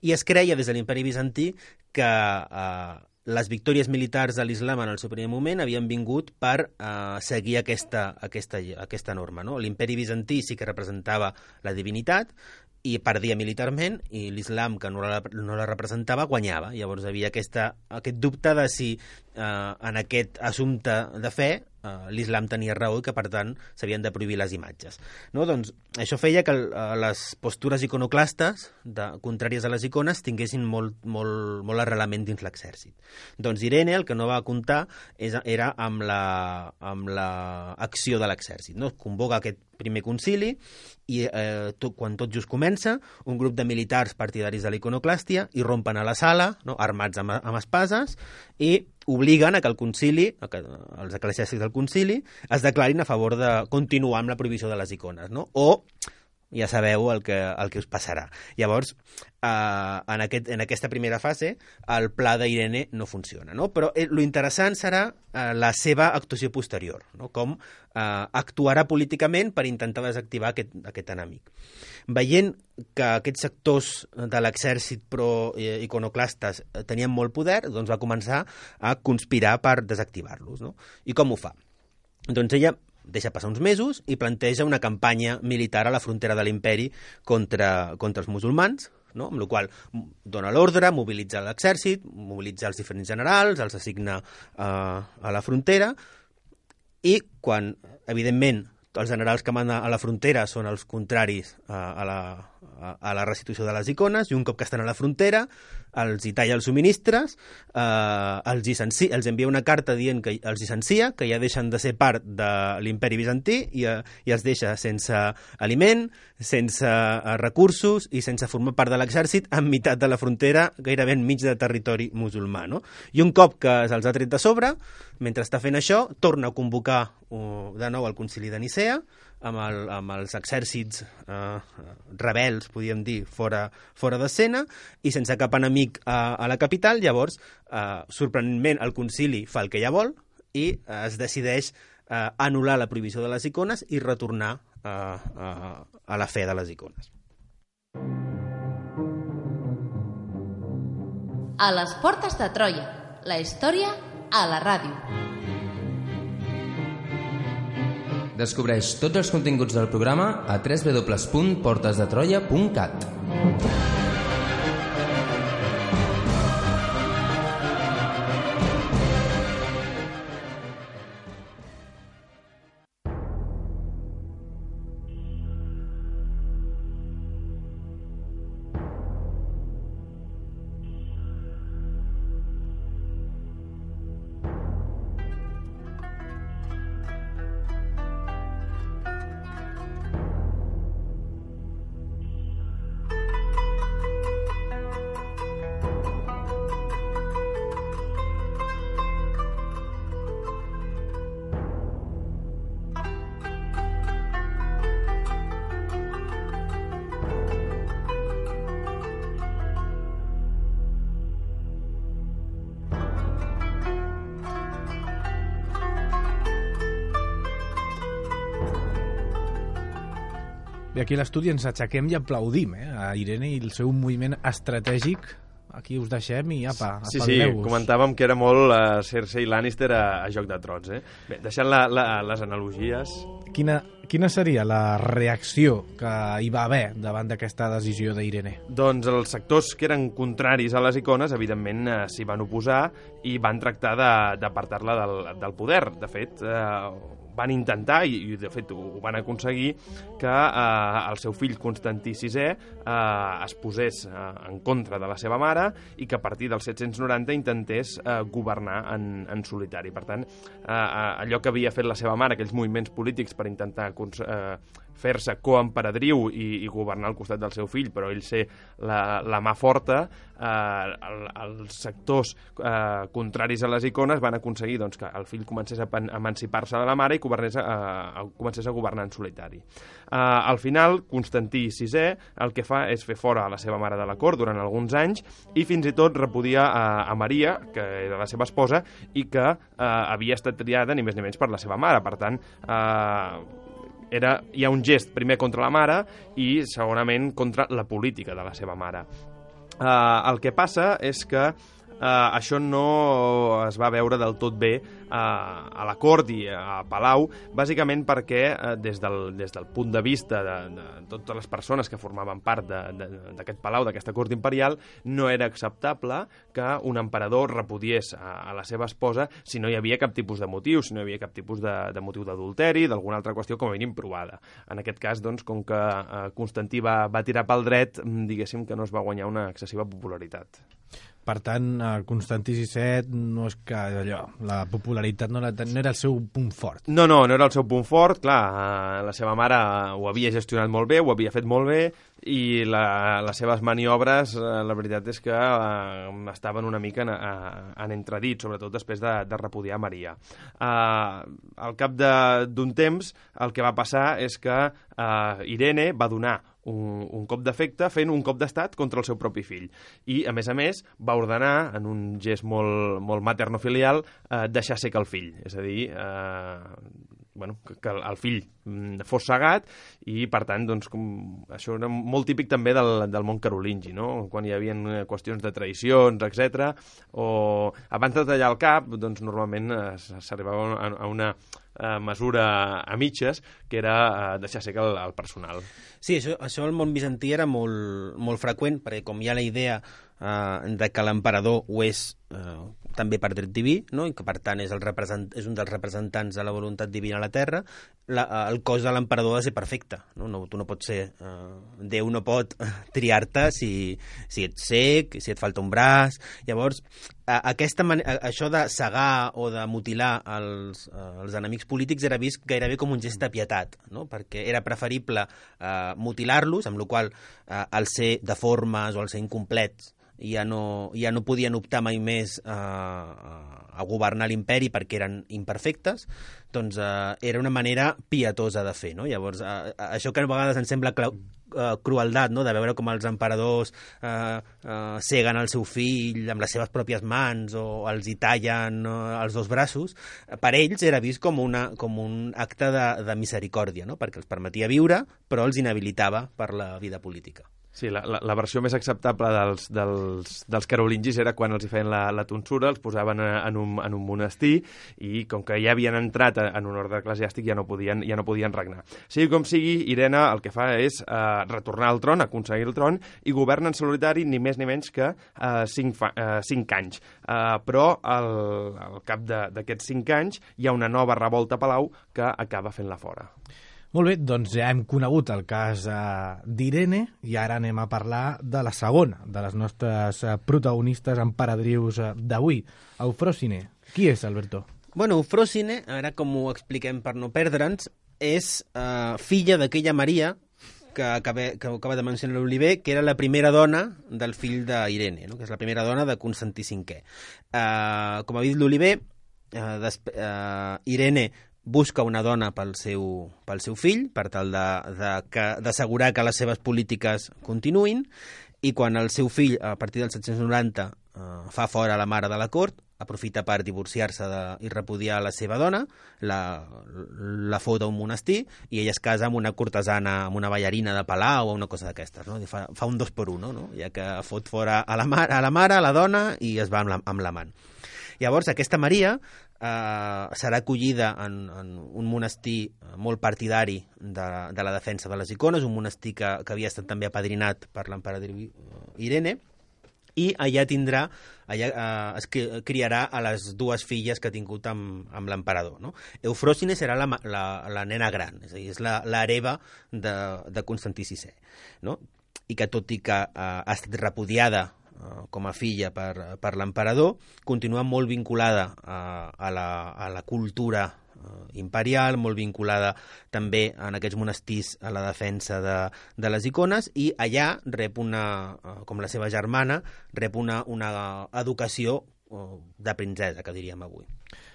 i es creia des de l'imperi bizantí que eh, les victòries militars de l'islam en el seu primer moment havien vingut per eh, seguir aquesta, aquesta, aquesta norma. No? L'imperi bizantí sí que representava la divinitat, i perdia militarment, i l'islam, que no la, no la representava, guanyava. Llavors hi havia aquesta, aquest dubte de si eh, en aquest assumpte de fe eh, l'islam tenia raó i que, per tant, s'havien de prohibir les imatges. No? Doncs això feia que eh, les postures iconoclastes, de, contràries a les icones, tinguessin molt, molt, molt arrelament dins l'exèrcit. Doncs Irene el que no va comptar és, era amb la, amb la acció de l'exèrcit. No? Convoca aquest primer concili i eh, tot, quan tot just comença, un grup de militars partidaris de l'iconoclàstia irrompen a la sala, no? armats amb, amb espases, i obliguen a que el concili, a que els eclesiàstics del concili, es declarin a favor de continuar amb la prohibició de les icones, no? O ja sabeu el que, el que us passarà. Llavors, eh, en, aquest, en aquesta primera fase, el pla d'Irene no funciona, no? Però eh, lo interessant serà eh, la seva actuació posterior, no? Com eh, actuarà políticament per intentar desactivar aquest, aquest enemic. Veient que aquests sectors de l'exèrcit pro-iconoclastes tenien molt poder, doncs va començar a conspirar per desactivar-los, no? I com ho fa? Doncs ella deixa passar uns mesos i planteja una campanya militar a la frontera de l'imperi contra, contra els musulmans, no? Amb la qual dona l'ordre, mobilitza l'exèrcit, mobilitza els diferents generals, els assigna eh, a la frontera, i quan, evidentment, els generals que manen a la frontera són els contraris a, a, la, a la restitució de les icones, i un cop que estan a la frontera els hi talla els subministres, eh, els, llicenci, els envia una carta dient que els llicencia, que ja deixen de ser part de l'imperi bizantí i, eh, i els deixa sense aliment, sense eh, recursos i sense formar part de l'exèrcit en meitat de la frontera, gairebé enmig de territori musulmà. No? I un cop que se'ls ha tret de sobre, mentre està fent això, torna a convocar uh, de nou el concili de Nicea, amb, el, amb els exèrcits eh, rebels, podríem dir, fora, fora d'escena, i sense cap enemic a, a la capital. Llavors, eh, sorprenentment, el concili fa el que ja vol i eh, es decideix eh, anul·lar la prohibició de les icones i retornar eh, a, a la fe de les icones. A les portes de Troia, la història a la ràdio. Descobreix tots els continguts del programa a w w w punt portes de troia punt cat. Bé, aquí a l'estudi ens aixequem i aplaudim eh, a Irene i el seu moviment estratègic. Aquí us deixem i apa, sí, sí, comentàvem que era molt uh, Cersei Lannister a, a Joc de Trons. Eh? Bé, deixant la, la, les analogies... Quina, quina seria la reacció que hi va haver davant d'aquesta decisió d'Irene? Doncs els sectors que eren contraris a les icones, evidentment, eh, s'hi van oposar i van tractar d'apartar-la del, del poder. De fet, eh, van intentar, i, i de fet ho, ho van aconseguir, que eh, el seu fill Constantí sisè eh, es posés eh, en contra de la seva mare i que a partir del set-cents noranta intentés eh, governar en, en solitari. Per tant, eh, allò que havia fet la seva mare, aquells moviments polítics per intentar eh, fer-se coemperadriu i, i governar al costat del seu fill, però ell ser la, la mà forta, eh, el, els sectors eh, contraris a les icones van aconseguir doncs, que el fill comencés a emancipar-se de la mare i governés a, a, comencés a governar en solitari. Eh, al final, Constantí sisè el que fa és fer fora a la seva mare de la cort durant alguns anys i fins i tot repudia a, a Maria, que era la seva esposa, i que eh, havia estat triada ni més ni menys per la seva mare. Per tant, eh, Era, hi ha un gest primer contra la mare i segurament contra la política de la seva mare. Uh, el que passa és que uh, això no es va veure del tot bé uh, a la cort i a Palau, bàsicament perquè uh, des, del, des del punt de vista de, de totes les persones que formaven part d'aquest palau, d'aquesta cort imperial, no era acceptable que un emperador repudiés a, a la seva esposa si no hi havia cap tipus de motiu, si no hi havia cap tipus de, de motiu d'adulteri, d'alguna altra qüestió com a mínim provada. En aquest cas, doncs, com que eh, Constantí va, va tirar pel dret, diguéssim que no es va guanyar una excessiva popularitat. Per tant, Constantí sisè no és que allò, la popularitat no era, no era el seu punt fort. No, no, no era el seu punt fort, clar, la seva mare ho havia gestionat molt bé, ho havia fet molt bé, i la, les seves maniobres, la veritat és que uh, estaven una mica en, en entredit, sobretot després de, de repudiar Maria. Uh, al cap d'un temps, el que va passar és que uh, Irene va donar un, un cop d'efecte fent un cop d'estat contra el seu propi fill. I, a més a més, va ordenar, en un gest molt, molt maternofilial, uh, deixar sec el fill. És a dir, uh, bueno, que, que el fill fos cegat i, per tant, doncs, com, això era molt típic també del, del món carolingi, no? Quan hi havia qüestions de traïcions, etcètera, o abans de tallar el cap, doncs, normalment s'arribava a, a una eh, mesura a mitges, que era eh, deixar ser el, el personal. Sí, això, això al món bizantí era molt, molt freqüent, perquè com hi ha la idea eh, de que l'emperador ho és eh, també per dret diví, no? I que per tant és, el represent, és un dels representants de la voluntat divina a la Terra, la, el cos de l'emperador ha de ser perfecte. No? No, tu no pots ser... Eh, Déu no pot triar-te si, si ets cec, si et falta un braç... Llavors, a, aquesta man... a, això de cegar o de mutilar els, eh, els enemics polítics era vist gairebé com un gest de pietat, no? Perquè era preferible eh, mutilar-los, amb la qual cosa eh, al ser deformes o al ser incomplets ja no, ja no podien optar mai més a, a governar l'imperi perquè eren imperfectes, doncs eh, era una manera pietosa de fer, no? Llavors, eh, això que a vegades ens sembla clau, eh, crueldat, no? De veure com els emperadors eh, eh, ceguen el seu fill amb les seves pròpies mans o els hi tallen eh, els dos braços, per ells era vist com, una, com un acte de, de misericòrdia, no? Perquè els permetia viure, però els inhabilitava per la vida política. Sí, la, la, la versió més acceptable dels, dels, dels carolingis era quan els hi feien la, la tonsura, els posaven en un, en un monestir i com que ja havien entrat en un ordre eclesiàstic ja no podien, ja no podien regnar. Sigui com sigui, Irene el que fa és eh, retornar al tron, aconseguir el tron i governa en solitari ni més ni menys que eh, cinc, fa, eh, cinc anys. Eh, però al, al cap d'aquests cinc anys hi ha una nova revolta a Palau que acaba fent-la fora. Molt bé, doncs ja hem conegut el cas eh, d'Irene i ara anem a parlar de la segona de les nostres eh, protagonistes emperadrius eh, d'avui, Eufròsine. Qui és, Alberto? Bueno, Eufròsine, ara com ho expliquem per no perdre'ns, és eh, filla d'aquella Maria que acaba, que acaba de mencionar l'Oliver, que era la primera dona del fill d'Irene, no? Que és la primera dona de Constantí cinquè. Eh, com ha dit l'Oliver, eh, eh, Irene busca una dona pel seu, pel seu fill, per tal d'assegurar que, que les seves polítiques continuïn, i quan el seu fill, a partir del set-cents noranta, eh, fa fora la mare de la cort, aprofita per divorciar-se i repudiar la seva dona, la, la fot a un monestir, i ella es casa amb una cortesana, amb una ballarina de palau o una cosa d'aquestes, no? Fa, fa un dos per uno, no? Ja que fot fora a la, mar, a la mare, a la dona, i es va amb l'amant. Llavors, aquesta Maria eh, serà acollida en, en un monestir molt partidari de, de la defensa de les icones, un monestir que, que havia estat també apadrinat per l'emperadriu Irene, i allà tindrà, allà eh, es criarà a les dues filles que ha tingut amb, amb l'emperador, no? Eufròsine serà la, la, la nena gran, és a dir, és l'hereva de, de Constantí sisè, no? I que tot i que eh, ha estat repudiada com a filla per, per l'emperador, continua molt vinculada a, a, la, a la cultura imperial, molt vinculada també en aquests monestirs a la defensa de, de les icones, i allà rep una, com la seva germana, rep una, una educació de princesa, que diríem avui.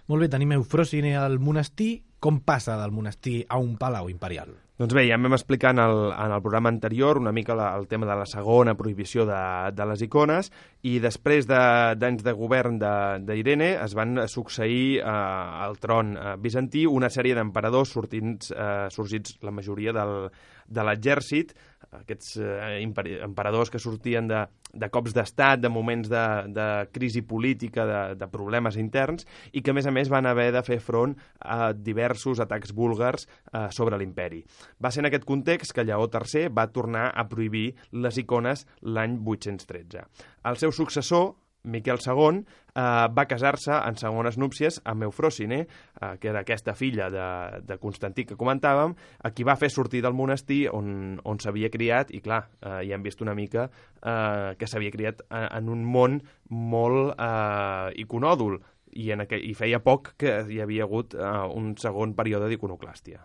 Molt bé, tenim Eufròsine al monestir. Com passa del monestir a un palau imperial? Doncs bé, ja vam explicar en el, en el programa anterior una mica la, el tema de la segona prohibició de, de les icones, i després d'anys de, de govern d'Irene es van succeir eh, al tron eh, bizantí una sèrie d'emperadors sortint, eh, sorgits la majoria del, de l'exèrcit, aquests eh, emperadors que sortien de, de cops d'estat, de moments de, de crisi política, de, de problemes interns, i que a més a més van haver de fer front a diversos atacs búlgars eh, sobre l'imperi. Va ser en aquest context que Lleó tercer va tornar a prohibir les icones l'any vuit-cents tretze. El seu successor, Miquel segon, eh, va casar-se en segones núpcies amb Eufròsine, eh, que era aquesta filla de, de Constantí que comentàvem, a qui va fer sortir del monestir on, on s'havia criat, i clar, eh, ja hem vist una mica eh, que s'havia criat en un món molt eh, iconòdul, i, en aquell, i feia poc que hi havia hagut eh, un segon període d'iconoclàstia.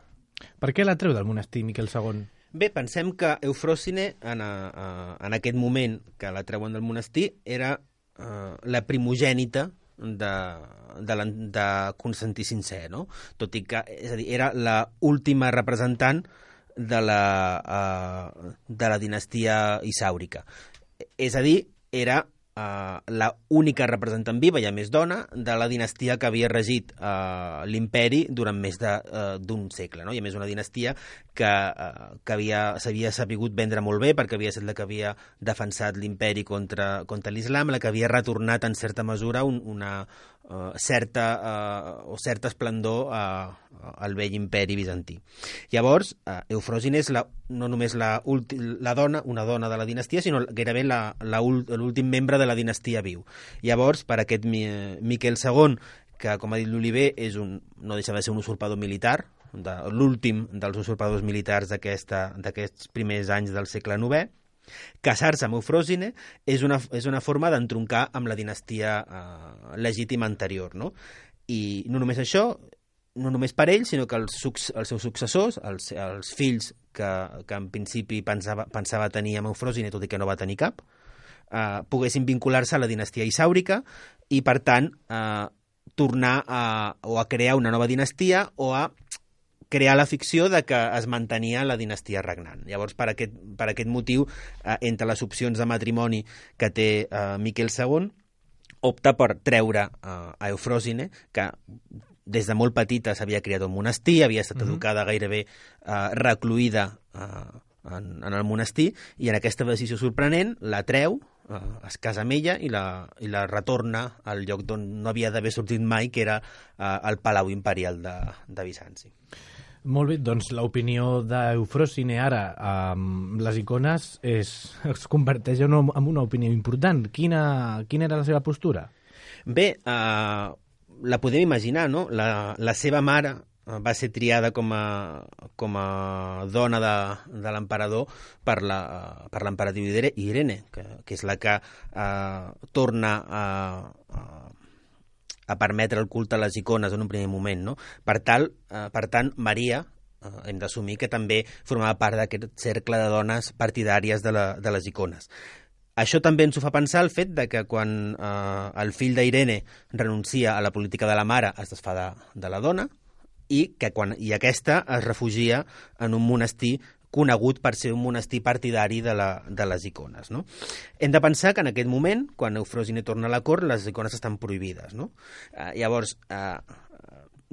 Per què la treu del monestir, Miquel segon? Bé, pensem que Eufròsine, en, a, en aquest moment que la treuen del monestir, era uh, la primogènita de, de, la, de Constantí cinquè, no? Tot i que, és a dir, era la última representant de la, uh, de la dinastia isàurica. És a dir, era Uh, la única representant viva, i a més dona, de la dinastia que havia regit uh, l'imperi durant més d'un uh, segle, no? I a més una dinastia que, eh, que havia, s'havia sabut vendre molt bé perquè havia estat la que havia defensat l'imperi contra, contra l'islam, la que havia retornat en certa mesura un, una uh, certa, uh, o certa esplendor uh, al vell imperi bizantí. Llavors, uh, Eufròsine és la, no només la, la dona, una dona de la dinastia, sinó gairebé l'últim membre de la dinastia viu. Llavors, per aquest Miquel segon, que, com ha dit l'Oliver, és un, no deixa de ser un usurpador militar, de, l'últim dels usurpadors militars d'aquests primers anys del segle novè, casar-se amb Eufròsine és una, és una forma d'entroncar amb la dinastia eh, legítima anterior, no? I no només això, no només per ell, sinó que els, els seus successors, els, els fills que, que en principi pensava, pensava tenir amb Eufròsine, tot i que no va tenir cap, eh, poguessin vincular-se a la dinastia isàurica i, per tant, eh, tornar a, o a crear una nova dinastia o a crear la ficció de que es mantenia la dinastia regnant. Llavors, per aquest, per aquest motiu, eh, entre les opcions de matrimoni que té eh, Miquel segon, opta per treure eh, a Eufròsine, que des de molt petita s'havia criat un monestir, havia estat mm-hmm. educada gairebé eh, recluïda eh, en, en el monestir, i en aquesta decisió sorprenent la treu, eh, es casa amb ella i la, i la retorna al lloc d'on no havia d'haver sortit mai, que era eh, el Palau Imperial de, de Bizanci. Molt bé, doncs l'opinió d'Eufròsine ara amb les icones és, es converteix en una, en una opinió important. Quina, quina era la seva postura? Bé, eh, la podem imaginar, no? La, la seva mare va ser triada com a, com a dona de, de l'emperador per la, per l'emperatriu Irene, que, que és la que eh, torna a, a a permetre el culte a les icones en un primer moment, no? Per, tal, eh, per tant, Maria, eh, hem d'assumir que també formava part d'aquest cercle de dones partidàries de, la, de les icones. Això també ens ho fa pensar el fet de que quan eh, el fill d'Irene renuncia a la política de la mare es desfà de, de la dona i que quan i aquesta es refugia en un monestir conegut per ser un monestir partidari de, la, de les icones, no? Hem de pensar que en aquest moment, quan Eufròsine torna a la cort, les icones estan prohibides, no? Eh, llavors, eh,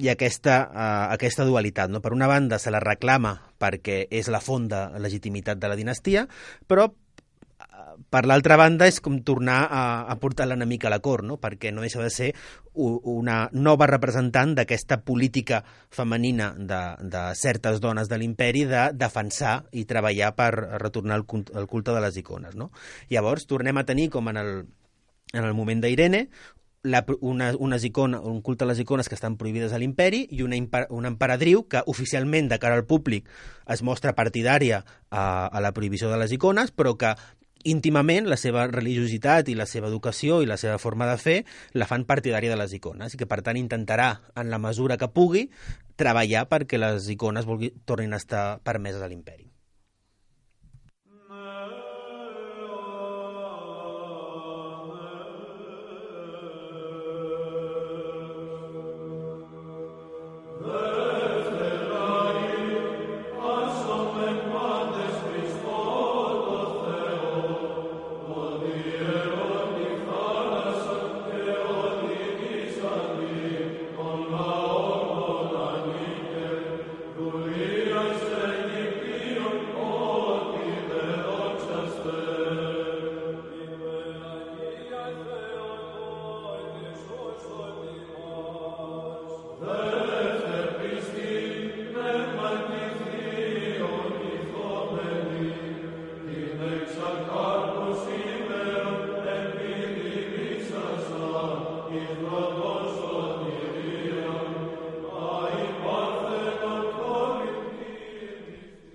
hi ha aquesta, eh, aquesta dualitat, no? Per una banda, se la reclama perquè és la font de legitimitat de la dinastia, però per l'altra banda és com tornar a, a portar l'enemic a la cort, no? Perquè no deixa de ser una nova representant d'aquesta política femenina de, de certes dones de l'imperi de defensar i treballar per retornar el culte, el culte de les icones, no? Llavors tornem a tenir, com en el, en el moment d'Irene, La, una, unes icones, un culte a les icones que estan prohibides a l'imperi i una, una emperadriu que oficialment de cara al públic es mostra partidària a, a la prohibició de les icones, però que íntimament la seva religiositat i la seva educació i la seva forma de fer la fan partidària de les icones i que per tant intentarà en la mesura que pugui treballar perquè les icones vulgui, tornin a estar permeses a l'imperi.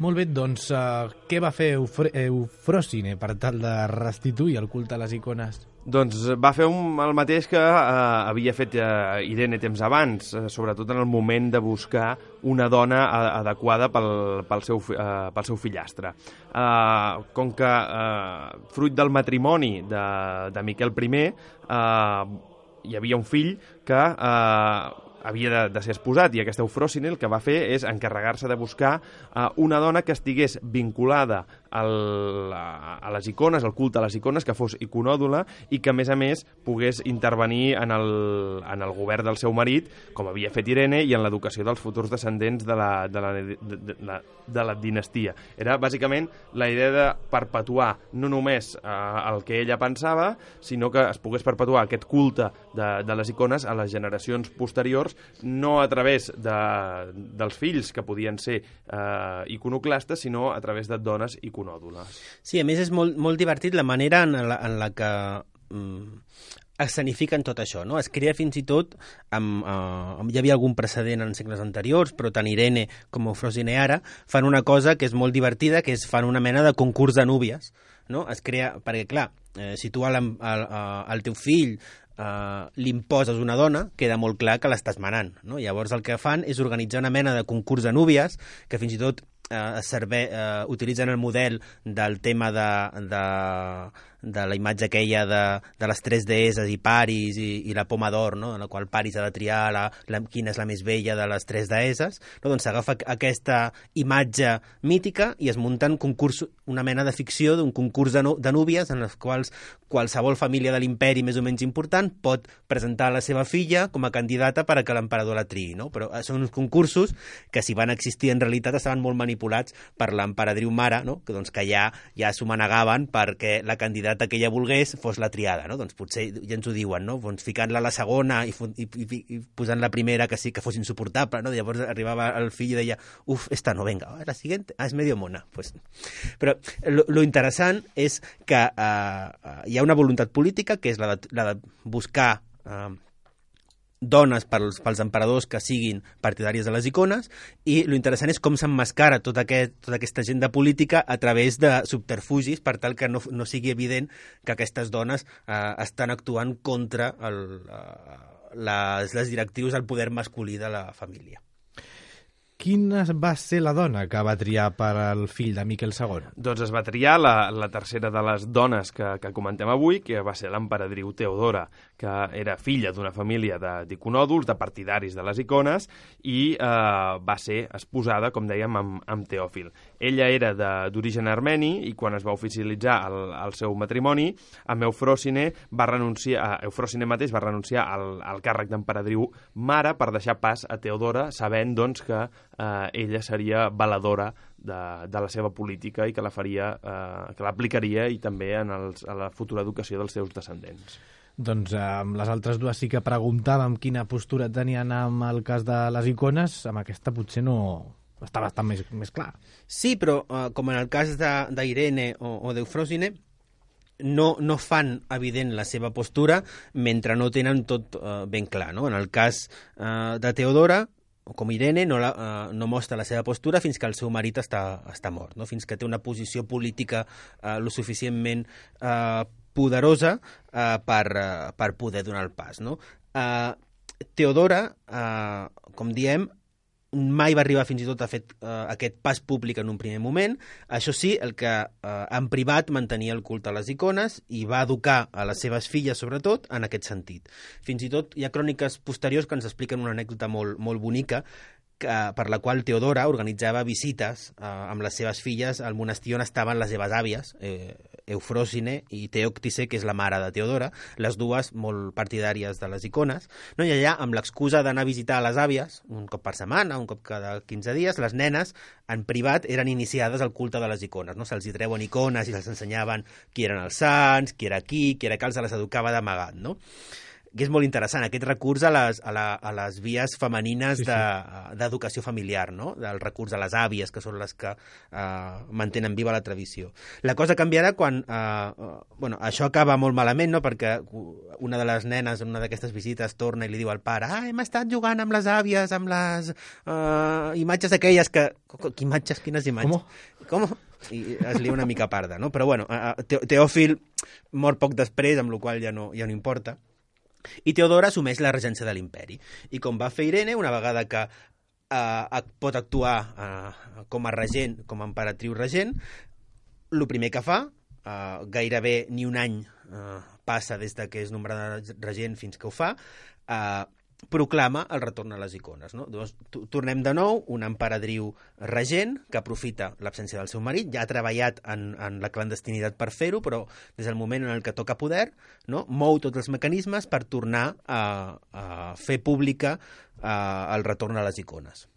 Molt bé, doncs uh, què va fer Eufr Eufròsine per tal de restituir el culte a les icones? Doncs va fer un, el mateix que eh, havia fet eh, Irene temps abans, eh, sobretot en el moment de buscar una dona a, adequada pel, pel, seu, eh, pel seu fillastre. Eh, com que eh, fruit del matrimoni de, de Miquel I eh, hi havia un fill que eh, havia de, de ser esposat, i aquesta Eufròsine el que va fer és encarregar-se de buscar uh, una dona que estigués vinculada al, a, a les icones, al culte a les icones, que fos iconòdula i que, a més a més, pogués intervenir en el, en el govern del seu marit, com havia fet Irene, i en l'educació dels futurs descendents de la, de la, de, de, de, de la dinastia. Era, bàsicament, la idea de perpetuar no només uh, el que ella pensava, sinó que es pogués perpetuar aquest culte de, de les icones a les generacions posteriors, no a través de, dels fills, que podien ser eh, iconoclastes, sinó a través de dones iconòdules. Sí, a més és molt, molt divertit la manera en la, en la que mm, escenifiquen tot això, no? Es crea fins i tot, amb, uh, hi havia algun precedent en segles anteriors, però tant Irene com Eufròsine ara fan una cosa que és molt divertida, que és fan una mena de concurs de núvies, no? Es crea, perquè clar, eh, si tu al, al, al teu fill Uh, li imposes una dona, queda molt clar que l'estàs manant, no? Llavors el que fan és organitzar una mena de concurs de núvies, que fins i tot uh, serve, uh, utilitzen el model del tema de, de, de la imatge aquella de, de les tres deesses i Paris i, i la poma d'or, no? En la qual Paris ha de triar la, la, quina és la més vella de les tres deesses, no? Doncs s'agafa aquesta imatge mítica i es munten concurs, una mena de ficció d'un concurs de, no, de núvies en les quals qualsevol família de l'imperi més o menys important pot presentar la seva filla com a candidata per a que l'emperador la triï, no? Però són uns concursos que, si van existir en realitat, estaven molt manipulats per l'emperadriu mare, no? Que, doncs, que ja, ja s'ho manegaven perquè la candidata que ella volgués fos la triada, no? Doncs potser ja ens ho diuen, no? Doncs ficant-la a la segona i, i, i, i posant la primera que sí que fos insuportable, no? Llavors arribava el fill i deia, uf, esta no, venga, la siguiente, ah, és medio mona. Pues... Però lo, lo interessant és que uh, hi ha una voluntat política, que és la de, la de buscar eh, dones pels, pels emperadors que siguin partidàries de les icones, i lo interessant és com s'emmascara tota, aquest, tota aquesta agenda política a través de subterfugis per tal que no, no sigui evident que aquestes dones eh, estan actuant contra el, eh, les, les directrius del poder masculí de la família. Quina va ser la dona que va triar per al fill de Miquel segon? Doncs es va triar la, la tercera de les dones que, que comentem avui, que va ser l'emperadriu Teodora, que era filla d'una família d'iconòduls, de, de partidaris de les icones, i eh, va ser esposada, com dèiem, amb, amb Teòfil. Ella era d'origen armeni, i quan es va oficialitzar el, el seu matrimoni, amb Eufròsine va renunciar, Eufròsine mateix va renunciar al, al càrrec d'emperadriu mare per deixar pas a Teodora, sabent, doncs, que Uh, ella seria valedora de, de la seva política i que la faria, uh, que l'aplicaria i també en els, a la futura educació dels seus descendents. Doncs eh, amb les altres dues sí que preguntàvem quina postura tenien amb el cas de les icones, amb aquesta potser no està bastant més, més clar. Sí, però uh, com en el cas d'Irene o, o d'Eufròsine, no, no fan evident la seva postura mentre no tenen tot uh, ben clar, no? En el cas uh, de Teodora, com Irene, no, la, uh, no mostra la seva postura fins que el seu marit està, està mort, no? Fins que té una posició política uh, lo suficientment uh, poderosa uh, per, uh, per poder donar el pas, no? Uh, Teodora, uh, com diem, mai va arribar fins i tot a fer uh, aquest pas públic en un primer moment. Això sí, el que uh, en privat mantenia el culte a les icones i va educar a les seves filles, sobretot, en aquest sentit. Fins i tot hi ha cròniques posteriors que ens expliquen una anècdota molt, molt bonica, que, per la qual Teodora organitzava visites eh, amb les seves filles al monestir on estaven les seves àvies, eh, Eufròsine i Teòctise, que és la mare de Teodora, les dues molt partidàries de les icones, no? I allà, amb l'excusa d'anar a visitar les àvies, un cop per setmana, un cop cada quinze dies, les nenes, en privat, eren iniciades al culte de les icones, no? Se'ls hi treuen icones i se'ls ensenyaven qui eren els sants, qui era qui, qui era cal, se les educava d'amagat, no? Que és molt interessant, aquest recurs a les, a la, a les vies femenines sí, sí. d'educació familiar, no? Del recurs a les àvies, que són les que uh, mantenen viva la tradició. La cosa canviarà quan... Uh, uh, bueno, això acaba molt malament, no? Perquè una de les nenes en una d'aquestes visites torna i li diu al pare, ah, hem estat jugant amb les àvies, amb les uh, imatges aquelles que... Quines imatges? Quines imatges? Com? Com? I es lia una mica parda, no? Però bueno, uh, Teòfil mor poc després, amb la qual ja no, ja no importa. I Teodora assumeix la regència de l'imperi. I com va fer Irene, una vegada que eh, pot actuar eh, com a regent, com a emperatriu regent, el primer que fa, eh, gairebé ni un any eh, passa des de que és nombrada regent fins que ho fa, eh, proclama el retorn a les icones. No? Llavors, tornem de nou, una emperadriu regent que aprofita l'absència del seu marit, ja ha treballat en, en la clandestinitat per fer-ho, però des del moment en el que toca poder, no? Mou tots els mecanismes per tornar a, a fer pública a, el retorn a les icones.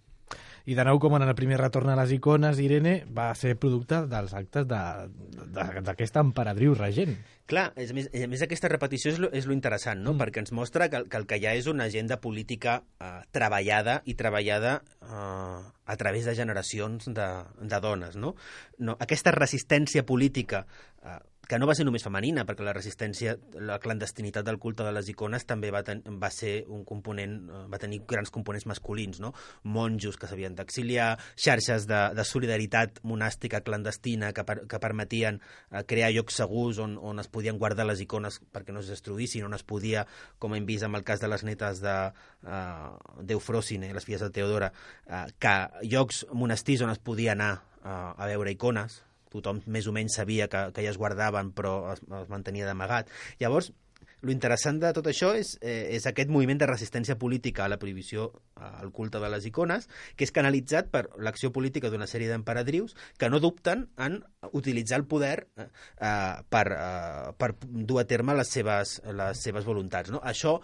I de nou, com en el primer retorn a les icones, Irene va ser producte dels actes d'aquesta emperadriu regent. Clar, a més, a més aquesta repetició és lo, és lo interessant, no? Mm. Perquè ens mostra que, que el que hi ha és una agenda política eh, treballada i treballada eh, a través de generacions de, de dones, no? No, aquesta resistència política, eh, que no va ser només femenina, perquè la resistència, la clandestinitat del culte de les icones també va, ten, va ser un component, va tenir grans components masculins, no? Monjos que s'havien d'exiliar, xarxes de, de solidaritat monàstica clandestina que, per, que permetien eh, crear llocs segurs on, on es podien guardar les icones perquè no es destruïssin, on es podia, com hem vist amb el cas de les netes de uh, d'Eufròsine, les filles de Teodora, uh, que llocs monestirs on es podia anar uh, a veure icones, tothom més o menys sabia que, que ja es guardaven però es, es mantenia d'amagat. Llavors, lo interessant de tot això és, eh, és aquest moviment de resistència política a la prohibició al culte de les icones, que és canalitzat per l'acció política d'una sèrie d'emperadrius que no dubten en utilitzar el poder eh, per, eh, per dur a terme les seves, les seves voluntats. No? Això,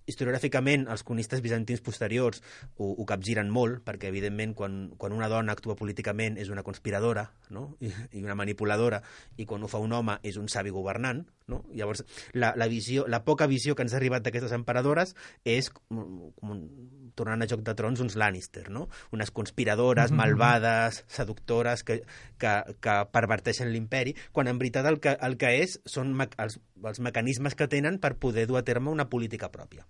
historiogràficament, els cronistes bizantins posteriors ho, ho capgiren molt, perquè, evidentment, quan, quan una dona actua políticament és una conspiradora, no? I, i una manipuladora, i quan ho fa un home és un savi governant, no? Llavors, la, la, visió, la poca visió que ens ha arribat d'aquestes emperadores és, com, com, tornant a Joc de Trons, uns Lannister, no? Unes conspiradores, mm-hmm. malvades, seductores, que, que, que perverteixen l'imperi, quan en veritat el que, el que és són me, els, els mecanismes que tenen per poder dur a terme una política pròpia.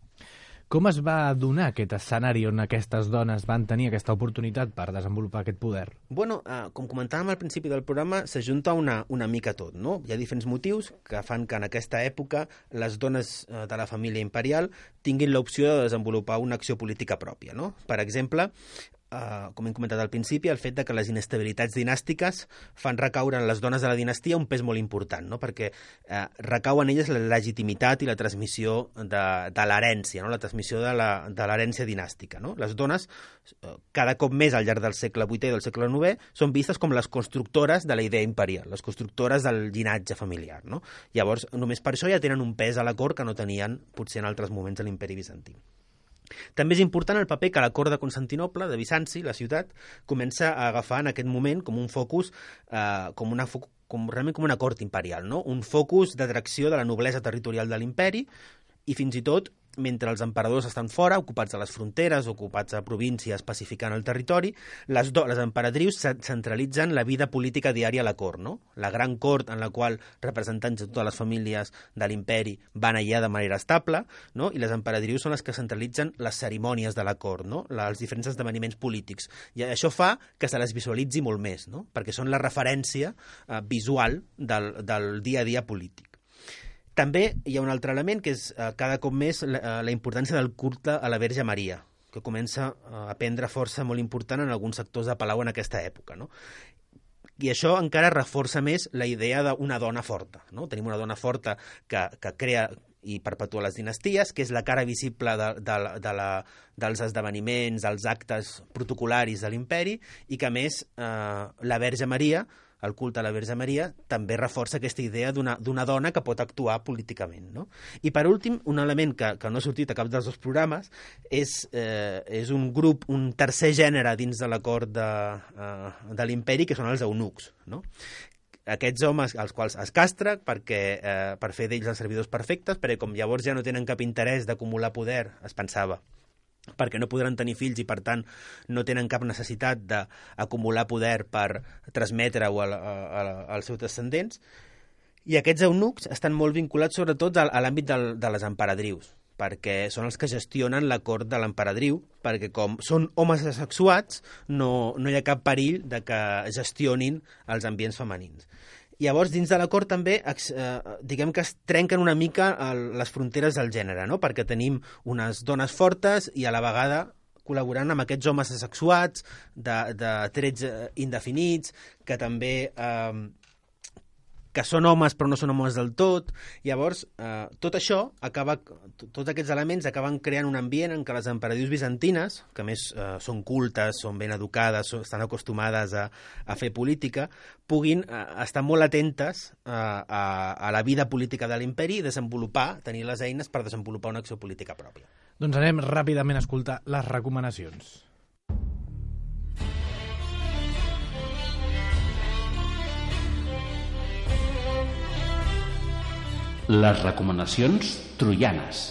Com es va donar aquest escenari on aquestes dones van tenir aquesta oportunitat per desenvolupar aquest poder? Bueno, eh, com comentàvem al principi del programa, s'ajunta una, una mica tot, no? Hi ha diferents motius que fan que en aquesta època les dones eh, de la família imperial tinguin l'opció de desenvolupar una acció política pròpia, no? Per exemple, Uh, com hem comentat al principi, el fet de que les inestabilitats dinàstiques fan recaure en les dones de la dinastia un pes molt important, no? Perquè uh, recau en elles la legitimitat i la transmissió de, de l'herència, no? La transmissió de l'herència dinàstica. No? Les dones, uh, cada cop més al llarg del segle vuitè i del segle novè, són vistes com les constructores de la idea imperial, les constructores del llinatge familiar. No? Llavors, només per això ja tenen un pes a la cort que no tenien potser en altres moments de l'imperi bizantí. També és important el paper que la cort de Constantinoble, de Bizanci, la ciutat, comença a agafar en aquest moment com un focus, eh, com una fo com, realment com una cort imperial, no? Un focus d'atracció de la noblesa territorial de l'imperi i fins i tot, mentre els emperadors estan fora, ocupats a les fronteres, ocupats a províncies, pacificant el territori, les, do les emperadrius centralitzen la vida política diària a la cort, no? La gran cort en la qual representants de totes les famílies de l'imperi van allà de manera estable, no? I les emperadrius són les que centralitzen les cerimònies de la cort, no? La, els diferents esdeveniments polítics. I això fa que se les visualitzi molt més, no? Perquè són la referència eh, visual del, del dia a dia polític. També hi ha un altre element que és eh, cada cop més la, la importància del culte a la Verge Maria, que comença a prendre força molt important en alguns sectors de Palau en aquesta època, no? I això encara reforça més la idea d'una dona forta, no? Tenim una dona forta que, que crea i perpetua les dinasties, que és la cara visible de, de, de la, dels esdeveniments, dels actes protocolaris de l'imperi, i que, a més, eh, la Verge Maria, el culte a la Verge Maria, també reforça aquesta idea d'una dona que pot actuar políticament, no? I, per últim, un element que, que no ha sortit a cap dels dos programes és, eh, és un grup, un tercer gènere dins de la cort de, eh, de l'imperi, que són els eunucs, no? Aquests homes als quals es castra perquè, eh, per fer d'ells els servidors perfectes, perquè com llavors ja no tenen cap interès d'acumular poder, es pensava, perquè no podran tenir fills i, per tant, no tenen cap necessitat d'acumular poder per transmetre-ho als seus descendents. I aquests eunucs estan molt vinculats sobretot a l'àmbit de les emperadrius, perquè són els que gestionen la cort de l'emperadriu, perquè com són homes asexuats, no, no hi ha cap perill de que gestionin els ambients femenins. Llavors, dins de la cort també, eh, diguem que es trenquen una mica el, les fronteres del gènere, no? Perquè tenim unes dones fortes i a la vegada col·laborant amb aquests homes asexuats, de, de trets indefinits, que també, eh, que són homes però no són homes del tot. Llavors, eh, tot això acaba, tots aquests elements acaben creant un ambient en què les emperadrius bizantines, que a més eh, són cultes, són ben educades, són, estan acostumades a, a fer política, puguin eh, estar molt atentes eh, a, a la vida política de l'imperi i desenvolupar, tenir les eines per desenvolupar una acció política pròpia. Doncs anem ràpidament a escoltar les recomanacions. Les recomanacions troianes.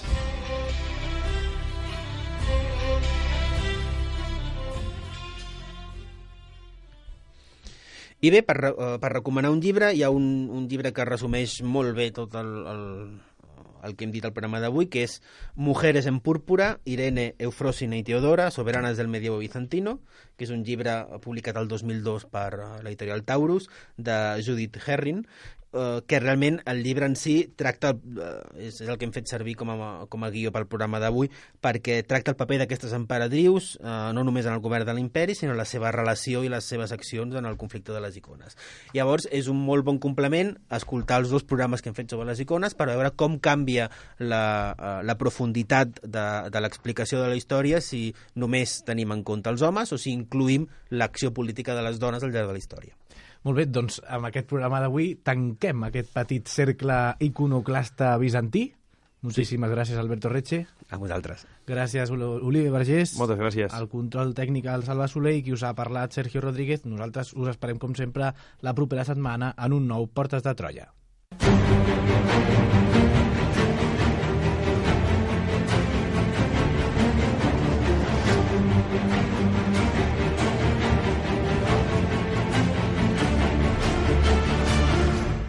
I bé, per, per recomanar un llibre, hi ha un, un llibre que resumeix molt bé tot el, el, el que hem dit al programa d'avui, que és Mujeres en púrpura, Irene, Eufrosina i Teodora, soberanes del medievo bizantino, que és un llibre publicat el dos mil dos per l'editorial Taurus, de Judith Herring, Uh, que realment el llibre en si tracta, uh, és, és el que hem fet servir com a, com a guió pel programa d'avui, perquè tracta el paper d'aquestes emperadrius, uh, no només en el govern de l'imperi, sinó la seva relació i les seves accions en el conflicte de les icones. Llavors, és un molt bon complement escoltar els dos programes que hem fet sobre les icones per veure com canvia la, uh, la profunditat de, de l'explicació de la història si només tenim en compte els homes o si incluïm l'acció política de les dones al llarg de la història. Molt bé, doncs amb aquest programa d'avui tanquem aquest petit cercle iconoclasta bizantí. Moltíssimes sí. gràcies, Alberto Reche. A vosaltres. Gràcies, Oliver Vergés. Moltes gràcies. El control tècnic al Salva Soler i qui us ha parlat, Sergio Rodríguez. Nosaltres us esperem, com sempre, la propera setmana en un nou Portes de Troia.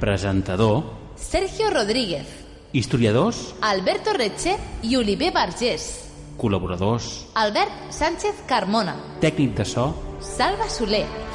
Presentador Sergio Rodríguez. Historiadors Alberto Reche i Oliver Vergés. Col·laboradors Albert Sánchez Carmona. Tècnic de so Salva Soler.